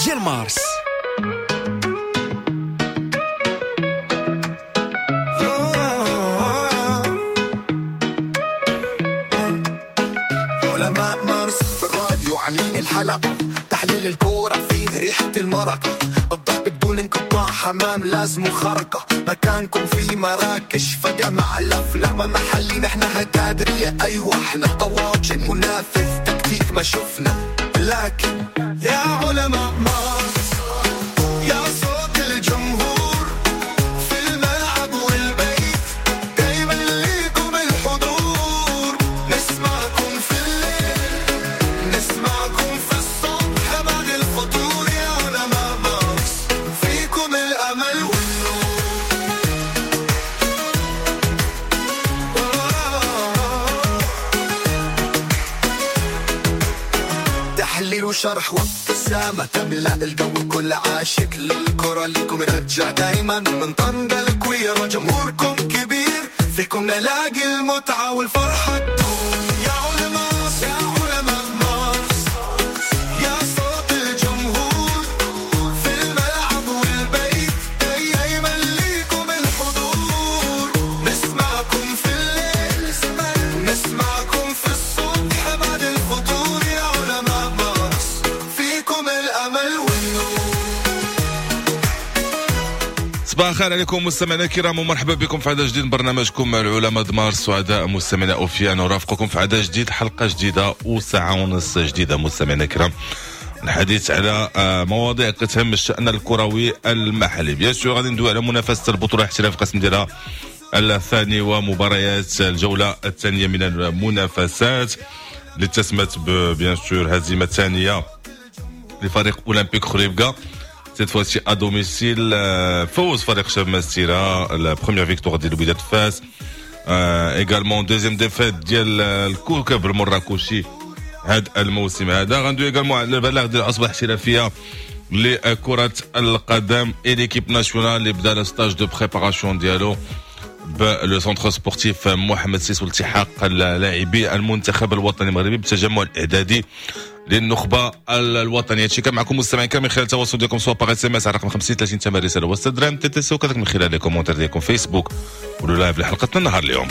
ديال مارس. علماء مارس في الراديو عاملين الحلقة، تحليل الكورة فيه ريحة المرقة، الضحك بدون انقطاع، حمام لازم خرقة، مكانكم في مراكش فجأة مع الأفلام محلي، احنا هكادرية، أيوة احنا طواجن، منافس تكتيك ما شفنا، لكن يا علماء مارس، يا صوت الجمهور في الملعب والبيت، دايما ليكم الحضور، نسمعكم في الليل، نسمعكم في الصبح بعد الفطور، يا علماء مارس فيكم الأمل والنور. تحليل وشرح وابتسامة تملأ الجو، كل عاشق للكرة لكم رجع دايما من طنجة الكويرة، جمهوركم كبير فيكم نلاقي المتعة والفرحة تدوم. يا علماء، يا علماء مارس، يا صوت الجمهور في الملعب والبيت، دايما ليكم الحضور، نسمعكم في الليل، نسمعكم في الصبح بعد الفطور، يا علماء مارس فيكم الأمل والنور. صباح الخير عليكم مستمعينا الكرام، ومرحبا بكم في عدد جديد من برنامجكم العلماء دمار. سعداء مستمعينا اوفياء نرافقكم في عدد جديد، حلقة جديدة وساعة ونص جديدة مستمعينا الكرام، الحديث على مواضيع كتهم الشأن الكروي المحلي. bien sûr غادي ندوي على منافسه البطولة الاحتراف القسم ديالها الثاني ومباريات الجولة الثانية من المنافسات اللي تسمت bien sûr هزيمة ثانية لفريق اولمبيك خريبكا، cette fois-ci à domicile. فوز فريق شباب مسيرة، la première victoire ديال وداد فاس، également deuxième défaite ديال الكوكب المراكشي هذا الموسم هذا. غندوي également على البلاغ ديال العصبة الاحترافية لكرة القدم et l'équipe nationale اللي بدا le stage de préparation ديالو ب le centre sportif محمد السادس، والتحاق اللاعبي المنتخب الوطني المغربي بالتجمع الاعدادي للنخبه الوطنية. هادشي كان معكم مستمعين كامل من خلال التواصل ديالكم، soit par SMS على رقم 50 30 8 رسالة وسط درهم TTC، وكذلك من خلال les commentaires ديالكم فيسبوك ولا live لحلقتنا النهار اليوم.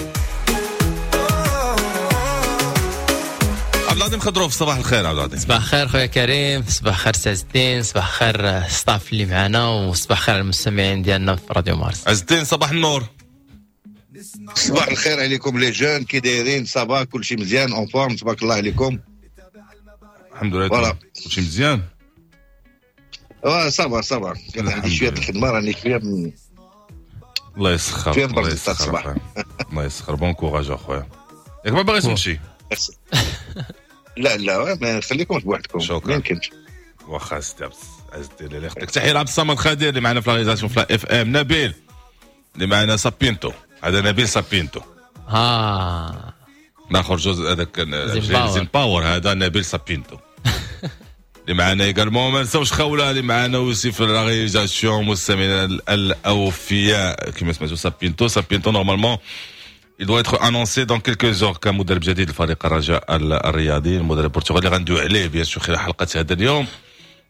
عبد العظيم خضروف، صباح الخير عبد العظيم. صباح الخير خويا كريم، صباح الخير سي عز الدين، صباح الخير staff اللي معنا، وصباح الخير على المستمعين ديالنا في راديو مارس. عز الدين صباح النور. صباح الخير عليكم les jeunes، كي دايرين؟ ça va كلشي مزيان، en forme تبارك الله عليكم. الحمد لله كلشي مزيان. ça va ça va، كان عندي شوية الخدمة، راني شوية الله يسخر، الله يسخر، الله يسخر. bon courage اخويا، ياك ما باغيش تمشي؟ لا لا ما نخليكمش بوحدكم، ما يمكنش. واخا سيدي عز الدين اللي يخطيك. تحية لعبد الصمد خادر اللي معنا في la réalisation في la FM، نبيل اللي معنا سابينتو، هذا نبيل سابينتو. الاخر جوز هذاك زين باور، هذا نبيل سابينتو اللي معنا également. ما نساوش خوله اللي معنا aussi في la réalisation، مستمعينا الاوفياء كما سمعتوا سابينتو. سابينتو normalement il doit être annoncé dans quelques heures كمدرب جديد لفريق الرجاء الرياضي، المدرب البرتغالي غندوي عليه bien sûr خلال حلقة هذا اليوم.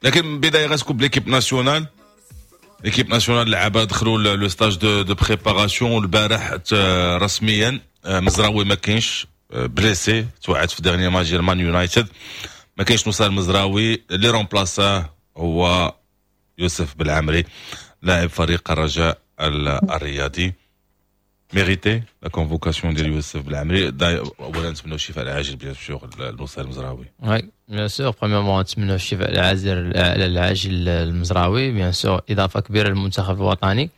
لكن بداية غتكون ب l'équipe nationale. l'équipe nationale لعبه دخلوا le stage de préparation البارح رسميا. مزراوي ما كاينش، blessé، توعد في dernier match ديال مان يونايتد، ما كاينش نصير المزراوي. اللي remplaça ه هو يوسف بالعمري لاعب فريق الرجاء الرياضي. mérité la convocation ديال يوسف بالعمري. اولا نتمنوا الشفاء العاجل bien sûr لنصير المزراوي. oui bien sûr، premièrement نتمنوا الشفاء العاجل للمزراوي، bien sûr اضافه كبيرة للمنتخب الوطني.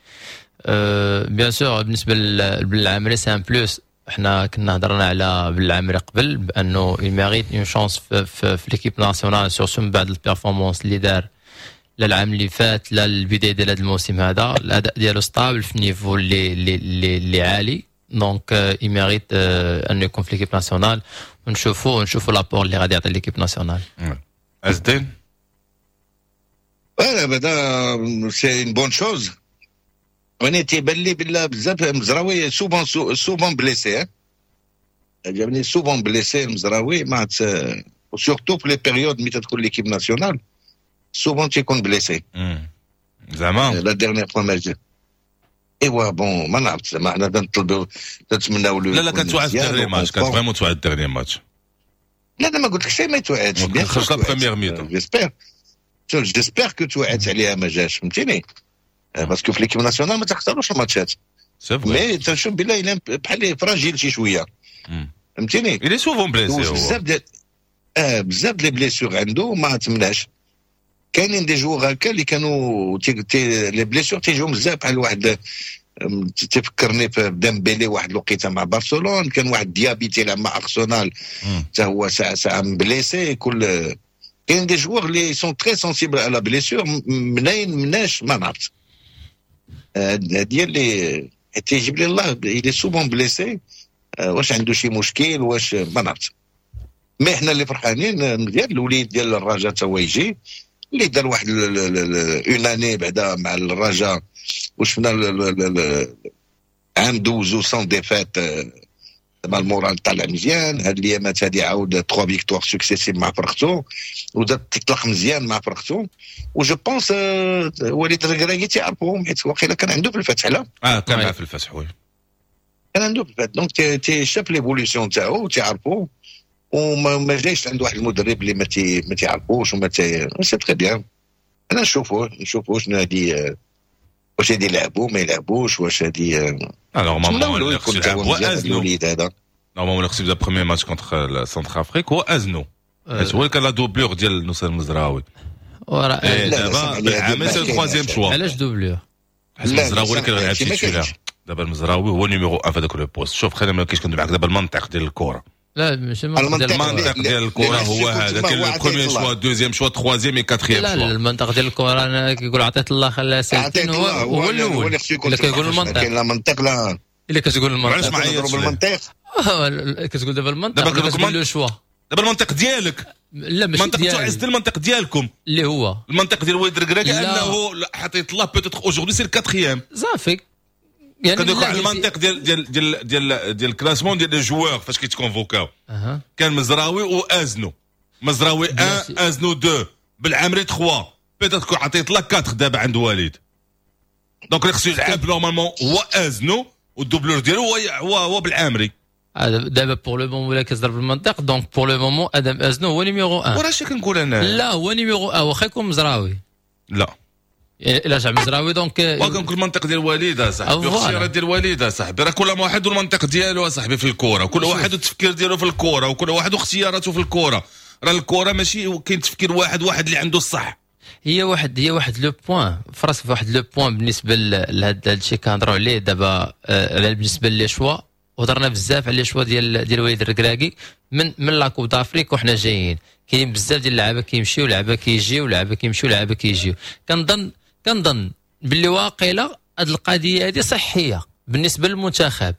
bien sûr بالنسبة للعمري c'est un plus. حنا كنا هضرنا على بالعمري قبل بانه il mérite une chance في l'équipe nationale، surtout من بعد ال performance اللي دار لا العام اللي فات لا البداية ديال هذا الموسم هذا. الاداء ديالو stable في niveau اللي عالي، donc il mérite انه يكون في l'équipe nationale، ونشوفوا l'apport اللي غادي يعطي l'équipe nationale. عز الدين voilà بعدا c'est une bonne chose. وانا تيبان لي بلا بزاف المزراوي souvent souvent blessé، عجبني souvent blessé المزراوي، ما surtout في les périodes ملي تدخل l'équipe nationale. souvent تيكون blessé. زعما la dernière fois ما جا. ايوا bon، ما نعرفت، زعما حنا نطلبوا، نتمناو له. لا لا، كانت توعد ال dernier match، كانت vraiment توعد ال dernier match. لا لا، ما قلت لك شيء ما يتوعدش. خرج la première mi-temps. j'espère que توعدت عليها ما جاش، فهمتيني؟ parce que في l'équipe nationale ما تختاروش الماتشات. mais تنشوف بلا بحال fragile شي شويه، فهمتيني؟ il est souvent blessé. بزاف ديال بزاف les blessures عنده، ما تمنعش. كاينين des joueurs هكا اللي كانوا les blessures تيجيو بزاف، بحال واحد تفكرني في ديمبيلي واحد الوقيته مع برشلونه، كان واحد ديابي تيلعب مع ارسنال، حتى هو ساعة ساعة blessé. كل كاين des joueurs اللي sont très sensibles à la blessure. منين مناش ما نعرفت، هادي اللي تيجيب لي الله il est souvent blessé. واش عنده شي مشكل؟ واش ما نعرفت. mais حنا اللي فرحانين مزيان، الوليد ديال الرجاء تا هو يجي، اللي دار واحد une année بعدا مع الرجاء، وشفنا عام دوزو sans défaite، زعما ال moral طالع مزيان. هاد الايامات هادي عاود 3 victoires successives مع فرقتو، ودا تطلق مزيان مع فرقتو. و je pense وليد الركراكي تيعرفوهم، حيت واقيلا كان عنده في الفتح، لا؟ اه، كان معاه في الفتح، oui. كان عنده في الفتح، donc تي شاف l'évolution تاعو تيعرفو، وما ما جايش عند واحد المدرب اللي ما تيعرفوش وما تي c'est très bien. انا نشوفوه شنو هادي، واش هادي يلعبوا ما يلعبوش، واش هادي. normalement يكون هو الوليد هذا. normalement خصو يبدا premier match contre Centrafrique هو ازنو، حيت هو اللي كان la doublure ديال نصير المزراوي. دابا بالعامل c'est ال troisième choix. علاش doublure؟ حيت المزراوي اللي كان غيلعب titulaire. دابا المزراوي هو numéro 1 في هذاك le poste. شوف، خلينا ما كاينش كندوي معاك دابا المنطق ديال الكره. لا، ماشي. المنطق ديال الكره هو هذا، كاين ال premier choix، deuxième choix، troisième et quatrième. لا لا، المنطق ديال الكره انا كيقول عطيت الله خلاها سالتين، هو الاول اللي كيقول المنطق. كاين لا منطق لا. الا كتقول المنطق. علاش ما عيطش بالمنطق؟ كتقول دابا المنطق، دابا كتقول le choix. دابا المنطق ديالك. لا، ماشي المنطق ديالي. عز المنطق ديالكم. اللي هو؟ المنطق ديال وليد الركراكي انه حطيت الله peut-être aujourd'hui c'est ال quatrième. صافي. يعني كندوي على المنطق ديال ال classement ديال les joueurs فاش كيتكونفوكاو. كان مزراوي وازنو، مزراوي 1، ازنو 2، بالعمري 3، peut-être عطيت لا 4 دابا عند وليد. donc اللي خصو يلعب normalement هو ازنو، وال doublure ديالو هو بالعامري. دابا pour le moment ولا كتضرب المنطق، donc pour le moment ادم ازنو هو numéro 1. وراه شي كنقول انا. لا، هو numéro 1 واخا يكون مزراوي. لا. الا رجع مزراوي donc. وكنقول المنطق ديال وليد صاحبي، الاختيارات ديال وليد صاحبي. راه كل واحد والمنطق ديالو صاحبي في الكره، كل واحد والتفكير ديالو في الكره، وكل واحد واختياراته في الكره. راه الكره ماشي كاين تفكير واحد واحد اللي عنده الصح. هي واحد le point فراسك، واحد le point بالنسبة لهذا الشيء كنهضروا عليه دابا، بالنسبة les choix، وهضرنا بزاف على les choix ديال وليد الركراكي من la Coupe d'Afrique وحنا جايين. كاين بزاف ديال اللعابه كيمشيو، لعابه كيجيو، لعابه كيمشيو، لعابه كيجيو. كنظن باللي واقيلا هذه القضية هذه صحية بالنسبة للمنتخب.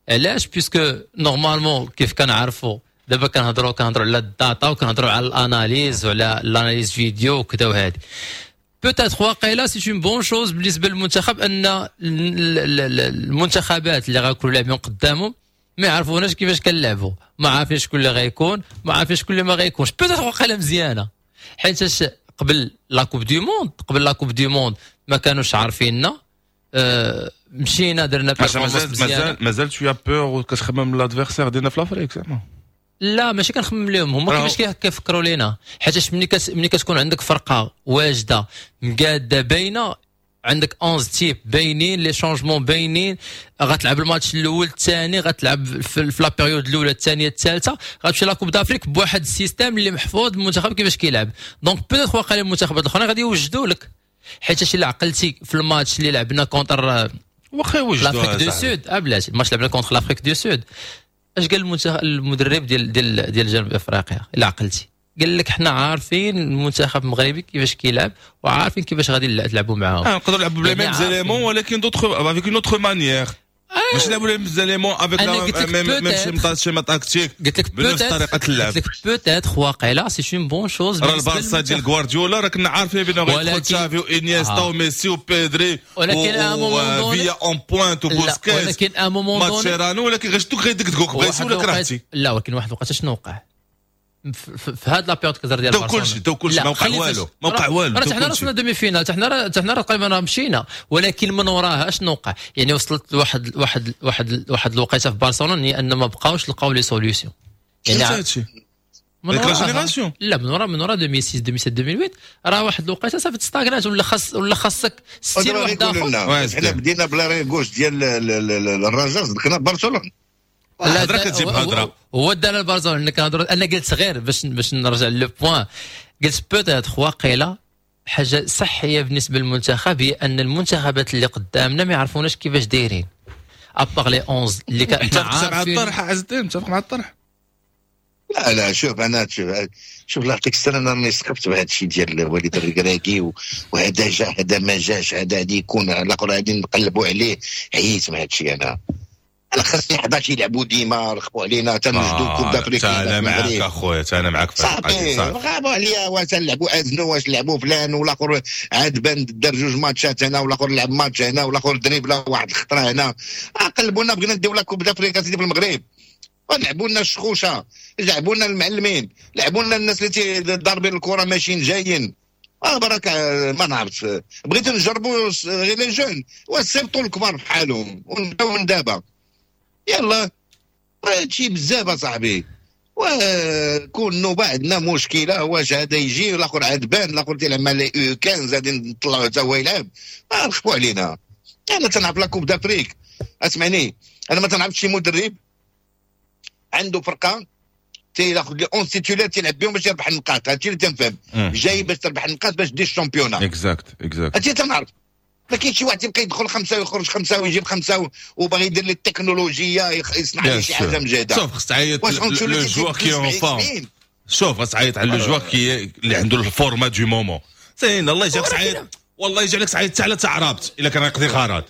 علاش؟ puisque normalement كيف كنعرفوا دابا كنهضروا على ال data وكنهضروا على ال analyse وعلى ال analyse vidéo وكذا، وهذه peut-être واقيلا c'est une bonne chose بالنسبة للمنتخب ان المنتخبات اللي غيكونوا لاعبين قدامهم ما يعرفوناش كيفاش كنلعبوا، ما عارفين شكون اللي غيكون، ما عارفين شكون اللي ما غيكونش. peut-être واقيلا مزيانه، حيت قبل la Coupe du Monde ما كانوش عارفيننا، مشينا درنا مازال مازال مازال شوية peur وكتخمم l'adversaire ديالنا في l'Afrique زعما. لا، ماشي كنخمم لهم هما، كيفاش كيفكروا لينا، حيت ملي كتكون عندك فرقه واجدة مقاده باينه، عندك 11 types باينين، les changements باينين، غتلعب الماتش الاول، الثاني، غتلعب في la période الاولى، الثانيه، الثالثه، غتمشي la Coupe d'Afrique بواحد ال système اللي محفوظ، المنتخب كيفاش كيلعب. donc peut-être واقيلا المنتخبات الاخرين غادي يوجدوا لك، حيت الا عقلتي في الماتش اللي لعبنا contre واخا يوجدوا l'Afrique du Sud، بلاتي، الماتش لعبنا contre l'Afrique du Sud، اش قال المدرب ديال جنوب افريقيا؟ الا عقلتي، قال لك حنا عارفين المنتخب المغربي كيفاش كيلعب وعارفين كيفاش غادي نلعبوا معاهم. نقدروا نلعبوا ب les mêmes éléments ولكن d'autres avec une autre manière، ماشي نلعبوا les mêmes éléments avec la même schéma tactique. قلت لك بنفس طريقه اللعب. قلت لك peut-être واقيلا c'est une bonne chose. راه البارسا ديال غوارديولا راه كنا عارفين بانه غيدخل تشافي وانيستا وميسي وبيدري ولكن وفيا en pointe وبوسكيتس ولكن à un moment ماتشيرانو، ولكن غير شتو غيدقدقوك، بغيتي ولا كرهتي. لا، ولكن واحد الوقت شنو وقع؟ في هاد la période كزر ديال برشلونه. كلشي داو كلشي، ما وقع والو، ما وقع والو. راه حنا وصلنا demi-finale، حتى حنا راه تقريبا راه مشينا، ولكن من وراها اشنو وقع؟ يعني وصلت لواحد واحد واحد واحد الوقيته في برشلونة هي ان ما بقاوش لقاو les solutions. يعني هادشي من وراها، لا، من وراء 2006، 2007، 2008 راه واحد الوقيته صافي تستاغنات، ولا خاصك 60 واحد اخر. حنا بدينا ب l'arrière gauche ديال الرجاء، صدقنا برشلونه. لا، هضره كتجيب هضره. هو دار البرشلونه كنهضروا. انا قلت غير باش نرجع le point، قلت peut-être واقيلا حاجة صحية بالنسبة للمنتخب هي ان المنتخبات اللي قدامنا ما يعرفوناش كيفاش دايرين à part les 11 اللي كان. متفق مع الطرح عز الدين؟ متفق مع الطرح؟ لا لا، شوف، انا شوف شوف، الله يعطيك السنه، انا راني سقفت بهذا الشيء ديال وليد الركراكي، وهذا جا، هذا ما جاش، هذا غادي يكون، الاخر غادي نقلبوا عليه. عييت مع هذا الشيء. انا خاصني 11 يلعبوا ديما. رخبوا علينا تنوجدوا Coupe d'Afrique. انا معاك اخويا، انا معاك. في صافي، غابوا عليا. واش نلعبوا ازنو، واش نلعبوا فلان، والاخر عاد بان دار جوج ماتشات هنا، والاخر لعب ماتش هنا، والاخر دريبلا واحد الخطرة هنا. قلبونا. بغينا نديو la Coupe d'Afrique سيدي في المغرب، لعبوا لنا الشخوشه، لعبوا لنا المعلمين، لعبوا لنا الناس اللي ضاربين الكره ماشيين جايين. بركه، ما نعرف. بغيت نجربوا غير les jeunes وسيبطوا الكبار بحالهم ونبداو من دابا. يلا، هادشي بزاف اصاحبي. وكون نوبه عندنا مشكله، واش هذا يجي، الاخر عاد بان، الاخر تيلعب مع les U15، غادي نطلعوا حتى هو يلعب. رخفوا علينا. انا تنعرف la Coupe d'Afrique، اسمعني، انا ما تنعرفش شي مدرب عنده فرقه تياخذ les 11 titulaires تيلعب بهم باش يربح النقاط. هادشي اللي تنفهم، جاي باش تربح النقاط باش دير ال championnat. exact. هادشي تنعرف. ما كاينش شي واحد تيبقى يدخل خمسة ويخرج خمسة ويجيب خمسة وباغي يدير لي التكنولوجيا، يصنع لي شي حاجة مجهده. شوف، خص تعيط le joueur qui est en forme. شوف، خص تعيط على le joueur qui اللي عنده ال forme du moment. زين، الله يجعلك تعيط، والله يجعلك تعيط على تعرابت الا كان يقضي غرض.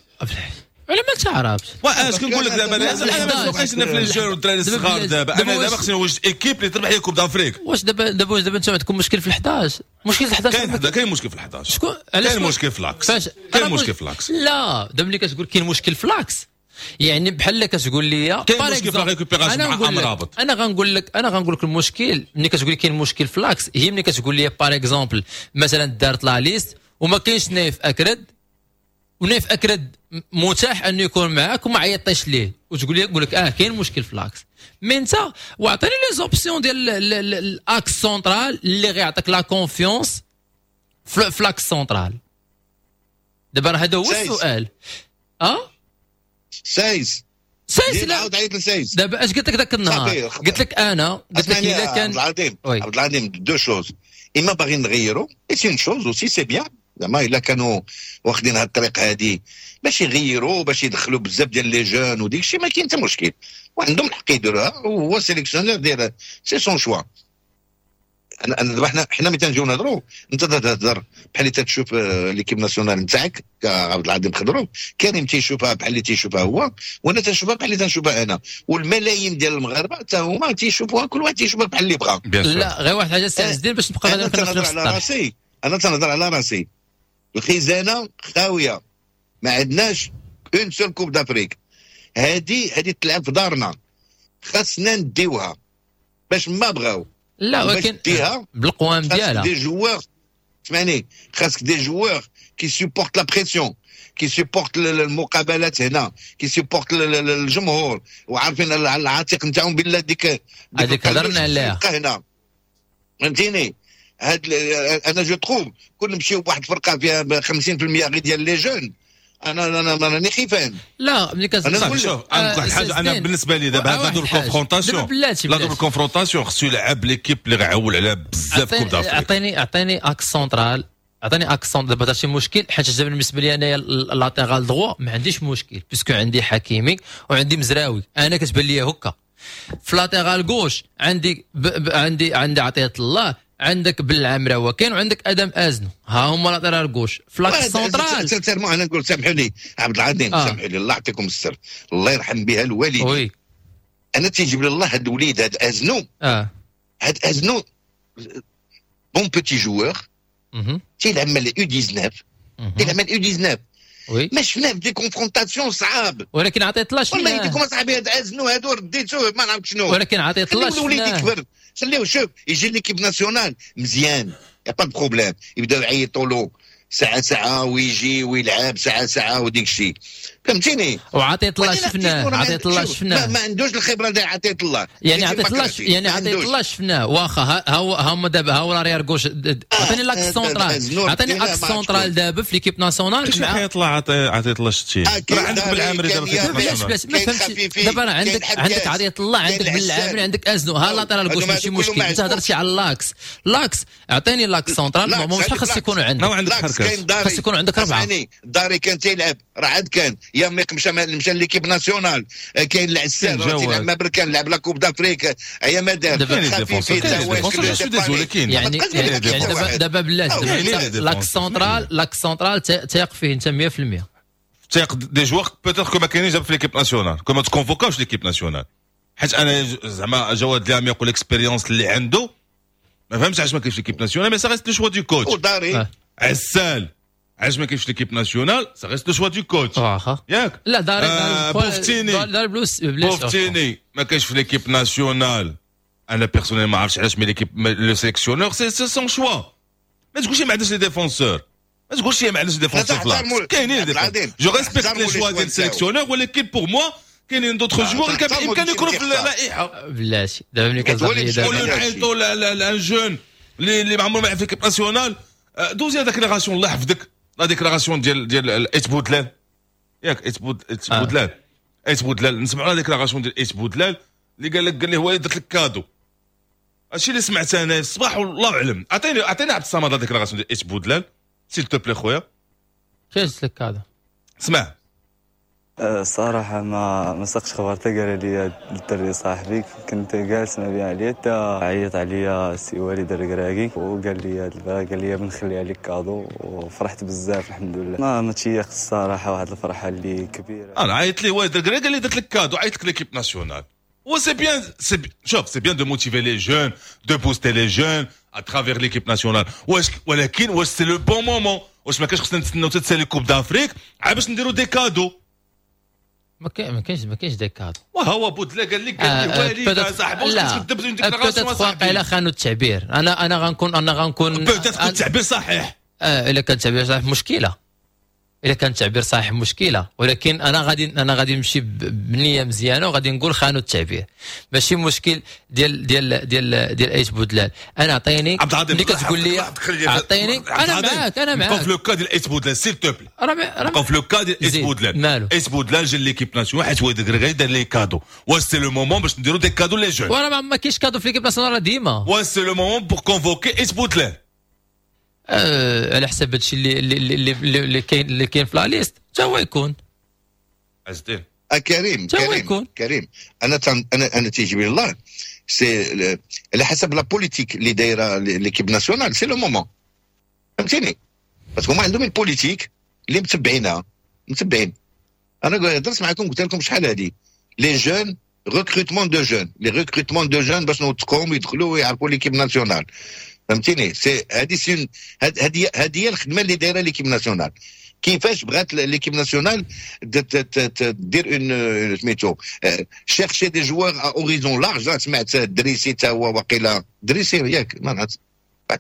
على ما تعرفش. واش كنقول لك دابا، انا ما سوقيش انا في les jeunes والدراري الصغار. دابا انا دابا خصني نوجد équipe اللي تربح لي Coupe d'Afrique. واش دابا انت عندكم مشكل في ال11؟ مشكل في ال11؟ كاين مشكل في ال11. شكون؟ كاين مشكل في l'axe، كاين مشكل في l'axe. لا، دابا ملي كتقول كاين مشكل في l'axe، يعني بحال كتقول لي كاين مشكل في la récupération مع امرابط. انا غنقول لك، المشكل ملي كتقول لي كاين مشكل في l'axe هي ملي كتقول لي par exemple مثلا دارت la liste وما كاينش نايف اكرد، ونايف اكرد متاح انه يكون معاك وما عيطيش ليه، وتقول لي نقول لك كاين مشكل في l'axe. mais انت واعطيني les options ديال l'axe central اللي غيعطيك la confiance في l'axe central. دابا هذا هو السؤال. سايس. سايس، لا. عاود عيط لسايس. دابا اش قلت لك ذاك النهار؟ قلت لك، انا قلت لك اذا كان عبد العظيم، عبد العظيم، deux choses: اما باغيين نغيروا، et c'est une chose aussi، c'est bien. زعما الا كانوا واخدين هاد الطريق هادي باش يغيروا، باش يدخلوا بزاف ديال les jeunes وديك الشيء، ما كاين حتى مشكل وعندهم الحق يديروها، وهو sélectionneur دير، c'est son choix. انا دابا حنا ملي تنجيو نهضروا، انت تهضر بحال اللي تتشوف l'équipe nationale نتاعك عبد العظيم خضرو، كريم تيشوفها بحال اللي تيشوفها هو، وانا تنشوفها بحال اللي تنشوفها انا، والملايين ديال المغاربة حتى هما تيشوفوها، كل واحد تيشوفها بحال اللي بغا. لا، غير واحد الحاجة سي عز الدين باش نبقى انا تنهضر على راسي، انا تنهضر على راسي. الخزانة خاويه، ما عندناش une seule Coupe d'Afrique. هذه تلعب في دارنا، خاصنا نديوها باش ما بغاو. لا، ولكن بالقوام ديالها. des joueurs، اسمعني، خاصك des joueurs qui supportent la pression، qui supportent المقابلات هنا، qui supportent الجمهور، وعارفين العاتق نتاعهم بالله ديك هذيك هضرنا عليها. هنا، فهمتيني؟ هاد انا je trouve كون نمشيو بواحد الفرقة فيها 50% غير ديال les jeunes، انا راني خيفان. لا، ملي كتقول انا شوف، انا حاجه، انا بالنسبة لي دابا هاد double confrontation، la double confrontation، خصو يلعب l'équipe اللي غيعول عليها بزاف Coupe d'Afrique. اعطيني axe central، عطيني axe central. دابا درتي مشكل، حيت بالنسبة لي انايا latéral droit ما عنديش مشكل puisque عندي حكيمي وعندي مزراوي. انا كتبان لي هكا في latéral gauche عندي ب ب عندي عندي عطية الله، عندك بالعمراوه كاين، وعندك ادم ازنو، ها هما latéral gauche. في l'axe central sincèrement انا نقول، سامحوا لي عبد العظيم، سامحوا لي، الله يعطيكم السر، الله يرحم بها الوالدين. انا تيجيب لي الله هذا الوليد هذا ازنو، هذا ازنو bon petit joueur، تيلعب مع les U19، تيلعب مع U19. ما شفناه في des confrontations صعاب. ولكن عطيت الله. والله يديكم اصاحبي، هذا ازنو هادو رديتوه ما نعرف شنو. ولكن عطيت الله. الوليد يكبر. خليه شوف يجي l'équipe nationale مزيان، y a pas de problème، يبداو يعيطوا له ساعة ساعة ويجي ويلعب ساعة ساعة وديك الشيء، فهمتيني؟ وعطية الله شفناه، عطية الله شفناه، ما عندوش الخبرة ديال عطية الله. يعني عطية الله، يعني عطية الله شفناه، واخا ها هو هما دابا ها هو l'arrière gauche. عطيني l'axe central، عطيني axe central دابا في l'équipe nationale. مع عطية الله، عطية الله شتي راه عندك بالعامري دابا في l'équipe nationale. ما فهمتش دابا راه عندك عطية الله، عندك بالعامري، عندك ازنو، ها latéral gauche ماشي مشكل. انت هضرتي على l'axe، l'axe عطيني l'axe central مش خاص يكونوا عندك، خاص يكون عندك ربعه. داري كان تيلعب راه عاد كان ياميق مشى l'équipe nationale، كاين العسال تيلعب ما بركان، لعب la Coupe d'Afrique هي ما دار. يعني دابا بلاتي l'axe central، l'axe central تيق فيه انت 100%؟ تيق des joueurs peut-être que ما كاينينش في l'équipe nationale، que ما تكونفوكاوش l'équipe nationale، حيت انا زعما جواد الياميق وال expérience اللي عنده ما فهمتش علاش ما كاينش l'équipe nationale، mais ça reste le choix du coach. وداري عسال علاش ما كاينش l'équipe nationale، ça reste le choix du coach. واخا ياك؟ لا داري بوفتيني، داري بلوس بوفتيني ما كاينش في l'équipe nationale، انا personnellement ما عرفتش علاش، mais l'équipe، le sélectionneur، c'est son choix. ما تقولش ما عندناش les défenseurs، ما تقولش ما عندناش défenseurs، كاينين défenseurs. je respecte les choix ديال ال sélectionneur، ولكن pour moi كاينين d'autres joueurs اللي كان بامكانهم يكونوا في اللائحه. بلاتي دابا ملي كتهضر لي دابا نعيطوا ل un jeune اللي ما عمره ما لعب في l'équipe nationale. دوزي déclaration، الله يحفظك، la déclaration ديال ايت بودلال، ياك؟ ايت بودلال، ايت بودلال، نسمعوا la déclaration ديال ايت بودلال اللي قال لك، قال لي هو درت لك cadeau. هادشي اللي سمعت انا الصباح والله اعلم. عطيني عبد الصمد la déclaration ديال ايت بودلال s'il te plaît خويا. كيفاش لك cadeau؟ اسمع. الصراحة ما ساقش خبر حتى قال لي الدري صاحبي، كنت جالس ما بيع عليا حتى عيط عليا السي وليد الركراكي وقال لي هاد البارح، قال لي بنخلي عليك cadeau، وفرحت بزاف الحمد لله. ما تيقت الصراحة، واحد الفرحة اللي كبيرة. انا عيط لي وليد الركراكي قال لي درت لك cadeau، عيط لك l'équipe nationale. و c'est bien، c'est شوف، c'est bien de motiver les jeunes، de booster les jeunes à travers l'équipe nationale، واش ولكن واش c'est le bon moment؟ واش ما كانش خصنا نتسناو تتسالي Coupe d'Afrique عاد باش نديرو des cadeaux؟ ما كاينش des cadeaux. وهو بودلا قال لك، قال لي وليد صاحبي، واش كتكذب؟ déclaration واقيلا خانوا التعبير. انا غنكون peut-être التعبير صحيح. الا كان التعبير صحيح مشكله، الا كان التعبير صحيح مشكله، ولكن انا غادي نمشي بنيه مزيانه وغادي نقول خانوا التعبير، ماشي مشكل ديال ايت بودلال. انا عطيني عبد العظيم ملي كتقول لي عطيني، انا معاك، انا معاك. بقاو في le cas ديال ايت بودلال s'il te plaît، بقاو في le cas ديال ايت بودلال. مالو؟ ايت بودلال جا l'équipe nationale حيت وليد الركراكي دار les cadeaux. واش c'est le moment باش نديرو des cadeaux les jeunes؟ وراه ما كاينش cadeau في l'équipe nationale ديما. واش c'est le moment pour convoquer ايت بودلال؟ على حسب هادشي اللي كاين في la liste حتى هو يكون. عز الدين. كريم كريم يكون. كريم، انا تيجي الله c'est على حسب la politique اللي دايرة l'équipe nationale، c'est le moment، فهمتيني؟ parce que هما عندهم ال politique اللي متبعينها متبعين. انا درت معكم، قلت لكم شحال هادي، les jeunes، recrutement de jeunes، les recrutements de jeunes باش نوثقوهم يدخلوا ويعرفوا l'équipe nationale، فهمتيني؟ c'est هذه c'est هذه هي الخدمة اللي دايرة l'équipe nationale. كيفاش بغات l'équipe nationale دير une سميتو chercher des joueurs à horizon large. سمعت دريسي تا هو، وقيلا دريسي، ياك؟ ما نعرف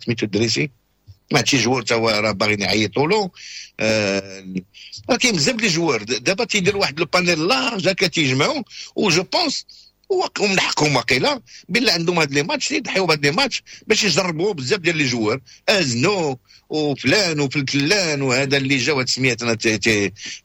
سميتو دريسي، سمعت شي joueur تا هو راه باغيين يعيطوا له. كاين بزاف les joueurs دابا تيدير واحد le panel large هكا تيجمعوا، و je pense ومن حقهم واقيلا بالله عندهم هاد les matchs، يضحيو بهاد les matchs باش يجربوا بزاف ديال les joueurs، ازنو وفلان وفلان وهذا اللي جا، هاد السميات انا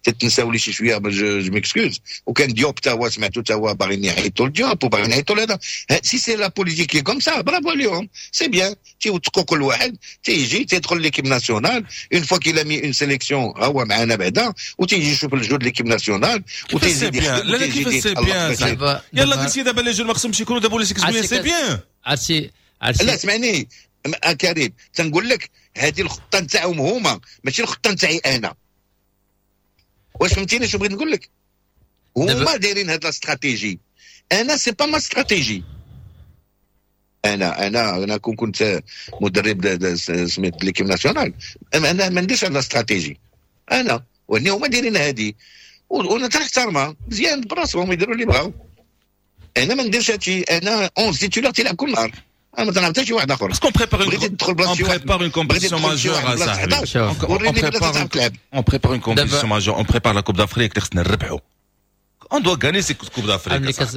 تتنساو لي شي شويه، je m'excuse. وكان ديوب تا هو سمعتو تا هو باغيين يعيطوا لديوب وباغيين يعيطوا لهذا. si c'est la politique comme ça، bravo عليهم، c'est bien. تيوثقوا كل واحد تيجي تيدخل l'équipe nationale، une fois qu'il a mis une sélection هو معنا بعدا، وتيجي يشوف الجو l'équipe nationale وتيزيد. لا لا، كيفاش c'est bien؟ يلا قلتي دابا les jeunes ما خصهمش يكونوا دابا، ولا c'est bien. عرفتي؟ عرفتي، لا اسمعني كريم، تنقول لك هذه الخطة نتاعهم هما، ماشي الخطة نتاعي انا. واش فهمتيني شنو بغيت نقول لك؟ هما دايرين هاد la stratégie، انا c'est pas ma stratégie. انا كون كنت مدرب سميت l'équipe nationale، انا ما نديرش هاد la stratégie انا، واني هما دايرين هادي وانا تنحترمها، مزيان، براسهم يديروا اللي بغاو. انا ما نديرش هادشي، انا 11 titulaires تيلعب كل نهار. انا ما تنعرف حتى شي واحد اخر. parce qu'on prépare بغيتي تدخل بلاصة on prépare une compétition majeure صاحبي، on prépare une compétition majeure، on prépare la Coupe d'Afrique اللي خصنا نربحوا. on doit gagner cette Coupe d'Afrique.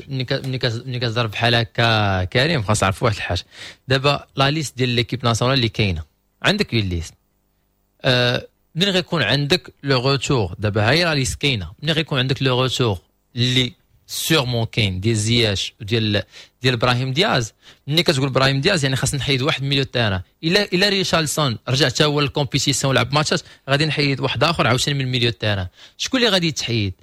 ملي كتهضر بحال هكا كريم، خاص تعرف واحد الحاجة. دابا la liste ديال l'équipe nationale اللي كاينه عندك، une liste، منين غيكون عندك le retour؟ دابا هاي la liste كاينه، منين غيكون عندك le retour اللي sûrement كاين ديال زياش وديال ابراهيم دياز؟ ملي كتقول ابراهيم دياز يعني خاص نحيد واحد milieu terrain. الا ريشارلسون رجع حتى هو لل compétition ولعب ماتشات، غادي نحيد واحد اخر عاوتاني من milieu terrain. شكون اللي غادي يتحيد؟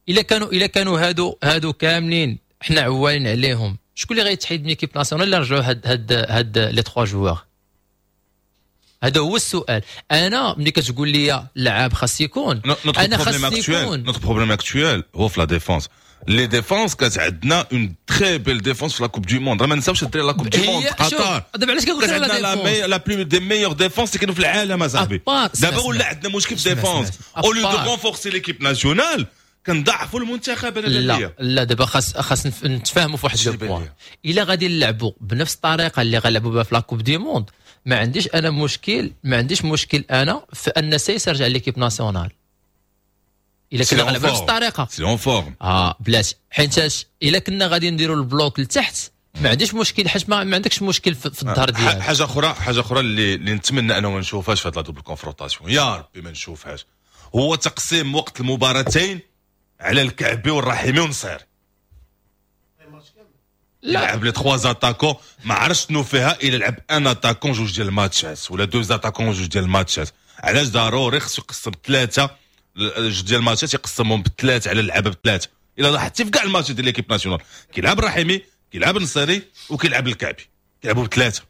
الا كانوا هادو كاملين حنا عوالين عليهم، شكون اللي غيتحيد من l'équipe nationale اللي رجعوا هاد les trois joueurs؟ هذا هو السؤال. انا ملي كتقول لي اللعاب خاص يكون، انا خاص يكون. notre problème actuel هو في la défense. les défenses كانت عندنا une très belle défense في la Coupe du Monde. ما نساوش الدراري، la Coupe du Monde قطر. دابا علاش كنقول la la plus des meilleures défenses اللي كانوا في العالم اصاحبي. دابا ولا عندنا مشكل في défense، au lieu de renforcer l'équipe nationale كنضعفوا المنتخب. انا لا لا، دابا خاص نتفاهموا في واحد le point. الا غادي نلعبوا بنفس الطريقة اللي غنلعبوا بها في la Coupe du Monde، ما عنديش انا مشكل، ما عنديش مشكل انا في ان سايس يرجع l'équipe nationale الا كنا غنلعبوا بنفس الطريقه. s'il est en forme. اه بلاش، حيت الا كنا غادي نديروا ال bloc لتحت ما عنديش مشكل، حيت ما عندكش مشكل في الظهر ديالك. حاجه اخرى اللي نتمنى انه ما نشوفهاش في هاد la double confrontation، يا ربي ما نشوفهاش، هو تقسيم وقت المباراتين على الكعبي والرحيمي ونصير. لا، لعب les trois attaquants، ما عرفتش شنو فيها الا لعب un attaquant جوج ديال الماتشات ولا deux attaquants جوج ديال الماتشات. علاش ضروري خصو يقسم ثلاثة جوج ديال الماتشات، يقسمهم بثلاثة على اللعابه بثلاثه؟ الا لاحظتي في كاع الماتشات ديال l'équipe nationale كيلعب الرحيمي، كيلعب النصيري وكيلعب الكعبي، كيلعبوا بثلاثه.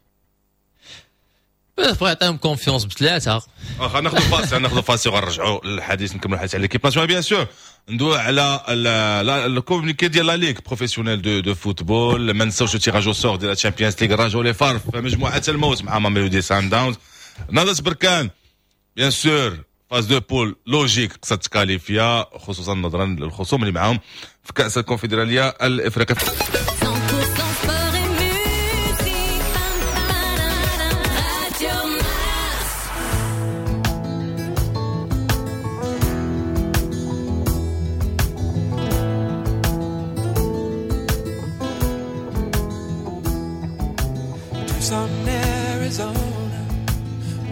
بغا يعطيهم confiance بثلاثه. واخا، ناخذ فاصل، ناخذ فاصل وغنرجعوا للحديث، نكملوا الحديث على l'équipe nationale، bien sûr ندوي على ال communiqué ديال la ligue professionnelle de football. ما نساوش tirage au sort ديال ال Champions League، الرجاء les FAR في مجموعة الموت مع ماميلودي سان داونز، نهضة بركان bien sûr phase de poules logique خصها تكاليفيا، خصوصا نظرا للخصوم اللي معاهم في كاس الكونفدراليه الافريقية. 100% sport et musique. Radio Mars. Tucson, Arizona,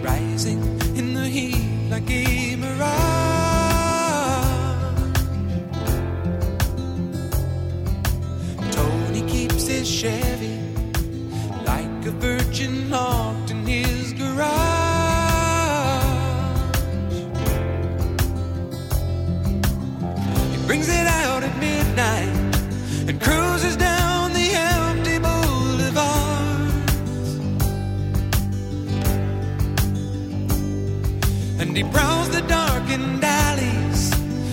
rising in the heat like a mirage. Tony keeps his Chevy like a virgin locked in his garage. He brings it out at midnight and cruises down the empty boulevards. And he prowls the darkened alleys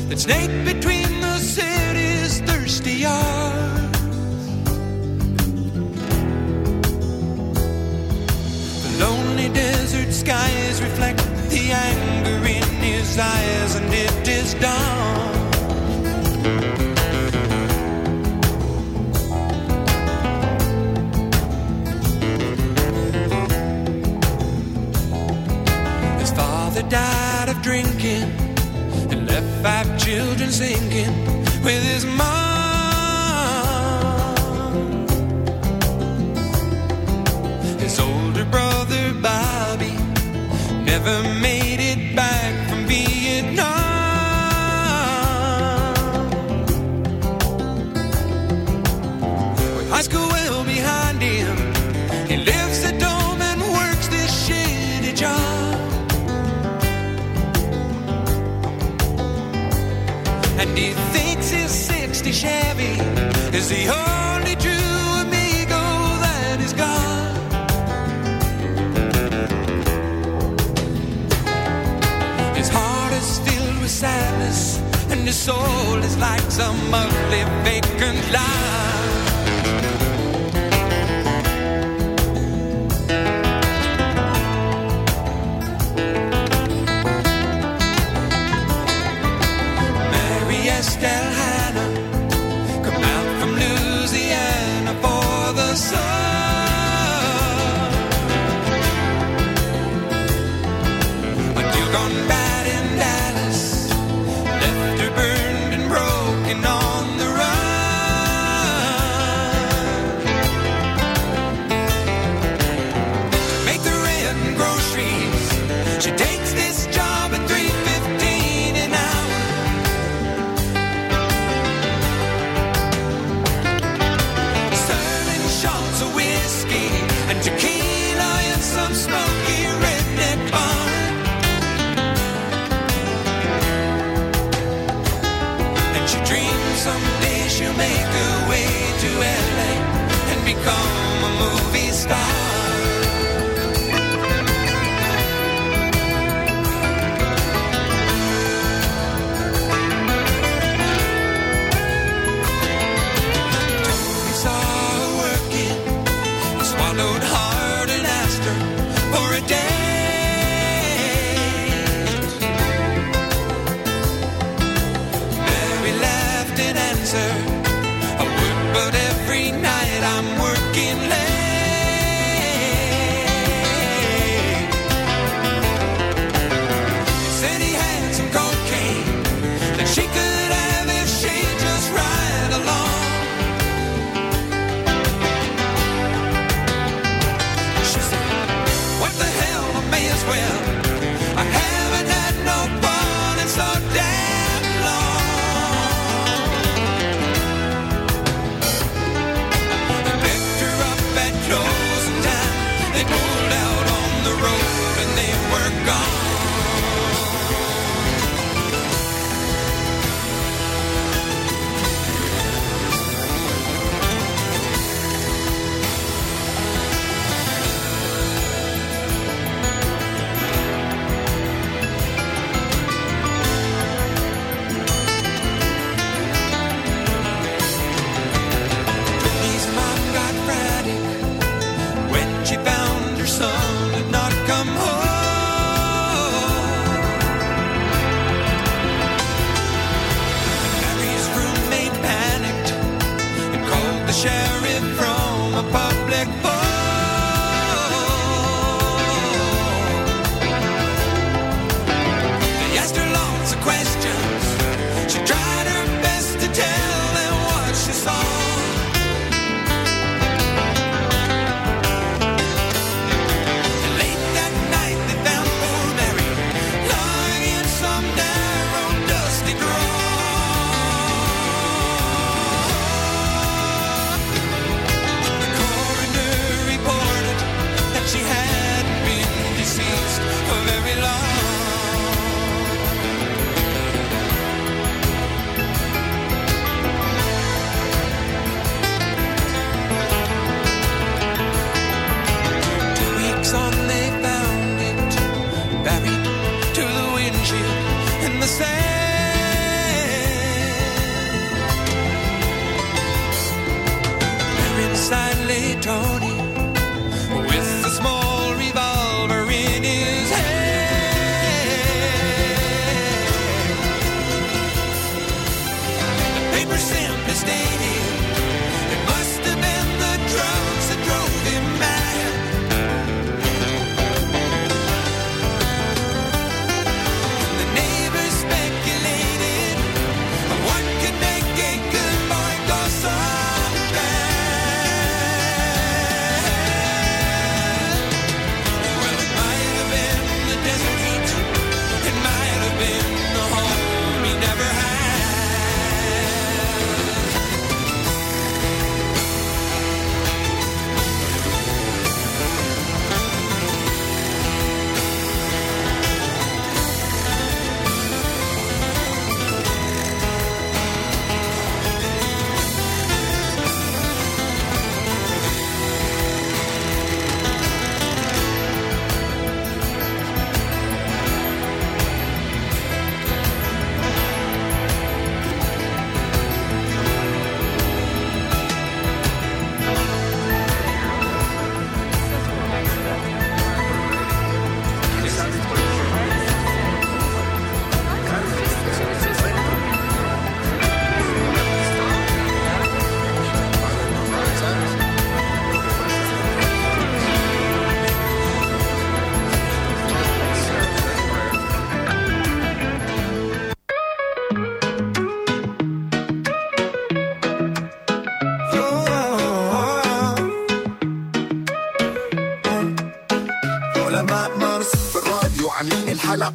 that snake between the city's thirsty yards. The lonely desert skies reflect the anger in his eyes, and it is dawn. His father died of drinking and left five children sinking with his mom. His older brother Bobby never made it back from Vietnam. With high school well behind him, he lives at home and works this shitty job. And he thinks his 60 Chevy is the only true amigo that he's got. His heart is filled with sadness, and his soul is like some ugly vacant lot. Mary Estelle Hannah come out from Louisiana for the summer. Someday she'll make her way to LA and become a movie star. Tony saw her working. He swallowed hard and asked her for a date. Mary laughed and answered, I work, but every night I'm working late. He said he had some cocaine that she could have if she'd just ride along. She said, what the hell, I may as well. I haven't had no fun in so damn long. They picked her up at closing time. They pulled out on the road and they were gone. Tony's mom got frantic when she found her son had not come home. And Mary's roommate panicked and called the sheriff from a public phone. They asked her lots of questions. She tried her best to tell them what she saw. And late that night they found poor Mary lying in some narrow, dusty draw. The coroner reported that she hadn't been deceased for very long. Two weeks on, they found it buried to the windshield in the sand. There inside lay Tony with a small revolver in his hand. The paper simply stated it must have been the drugs that drove him mad. And the neighbors speculated what could make a good boy go so bad. Well, it might have been the desert heat, it might have been the home he never had. علماء مارس في الراديو عاملين الحلقة،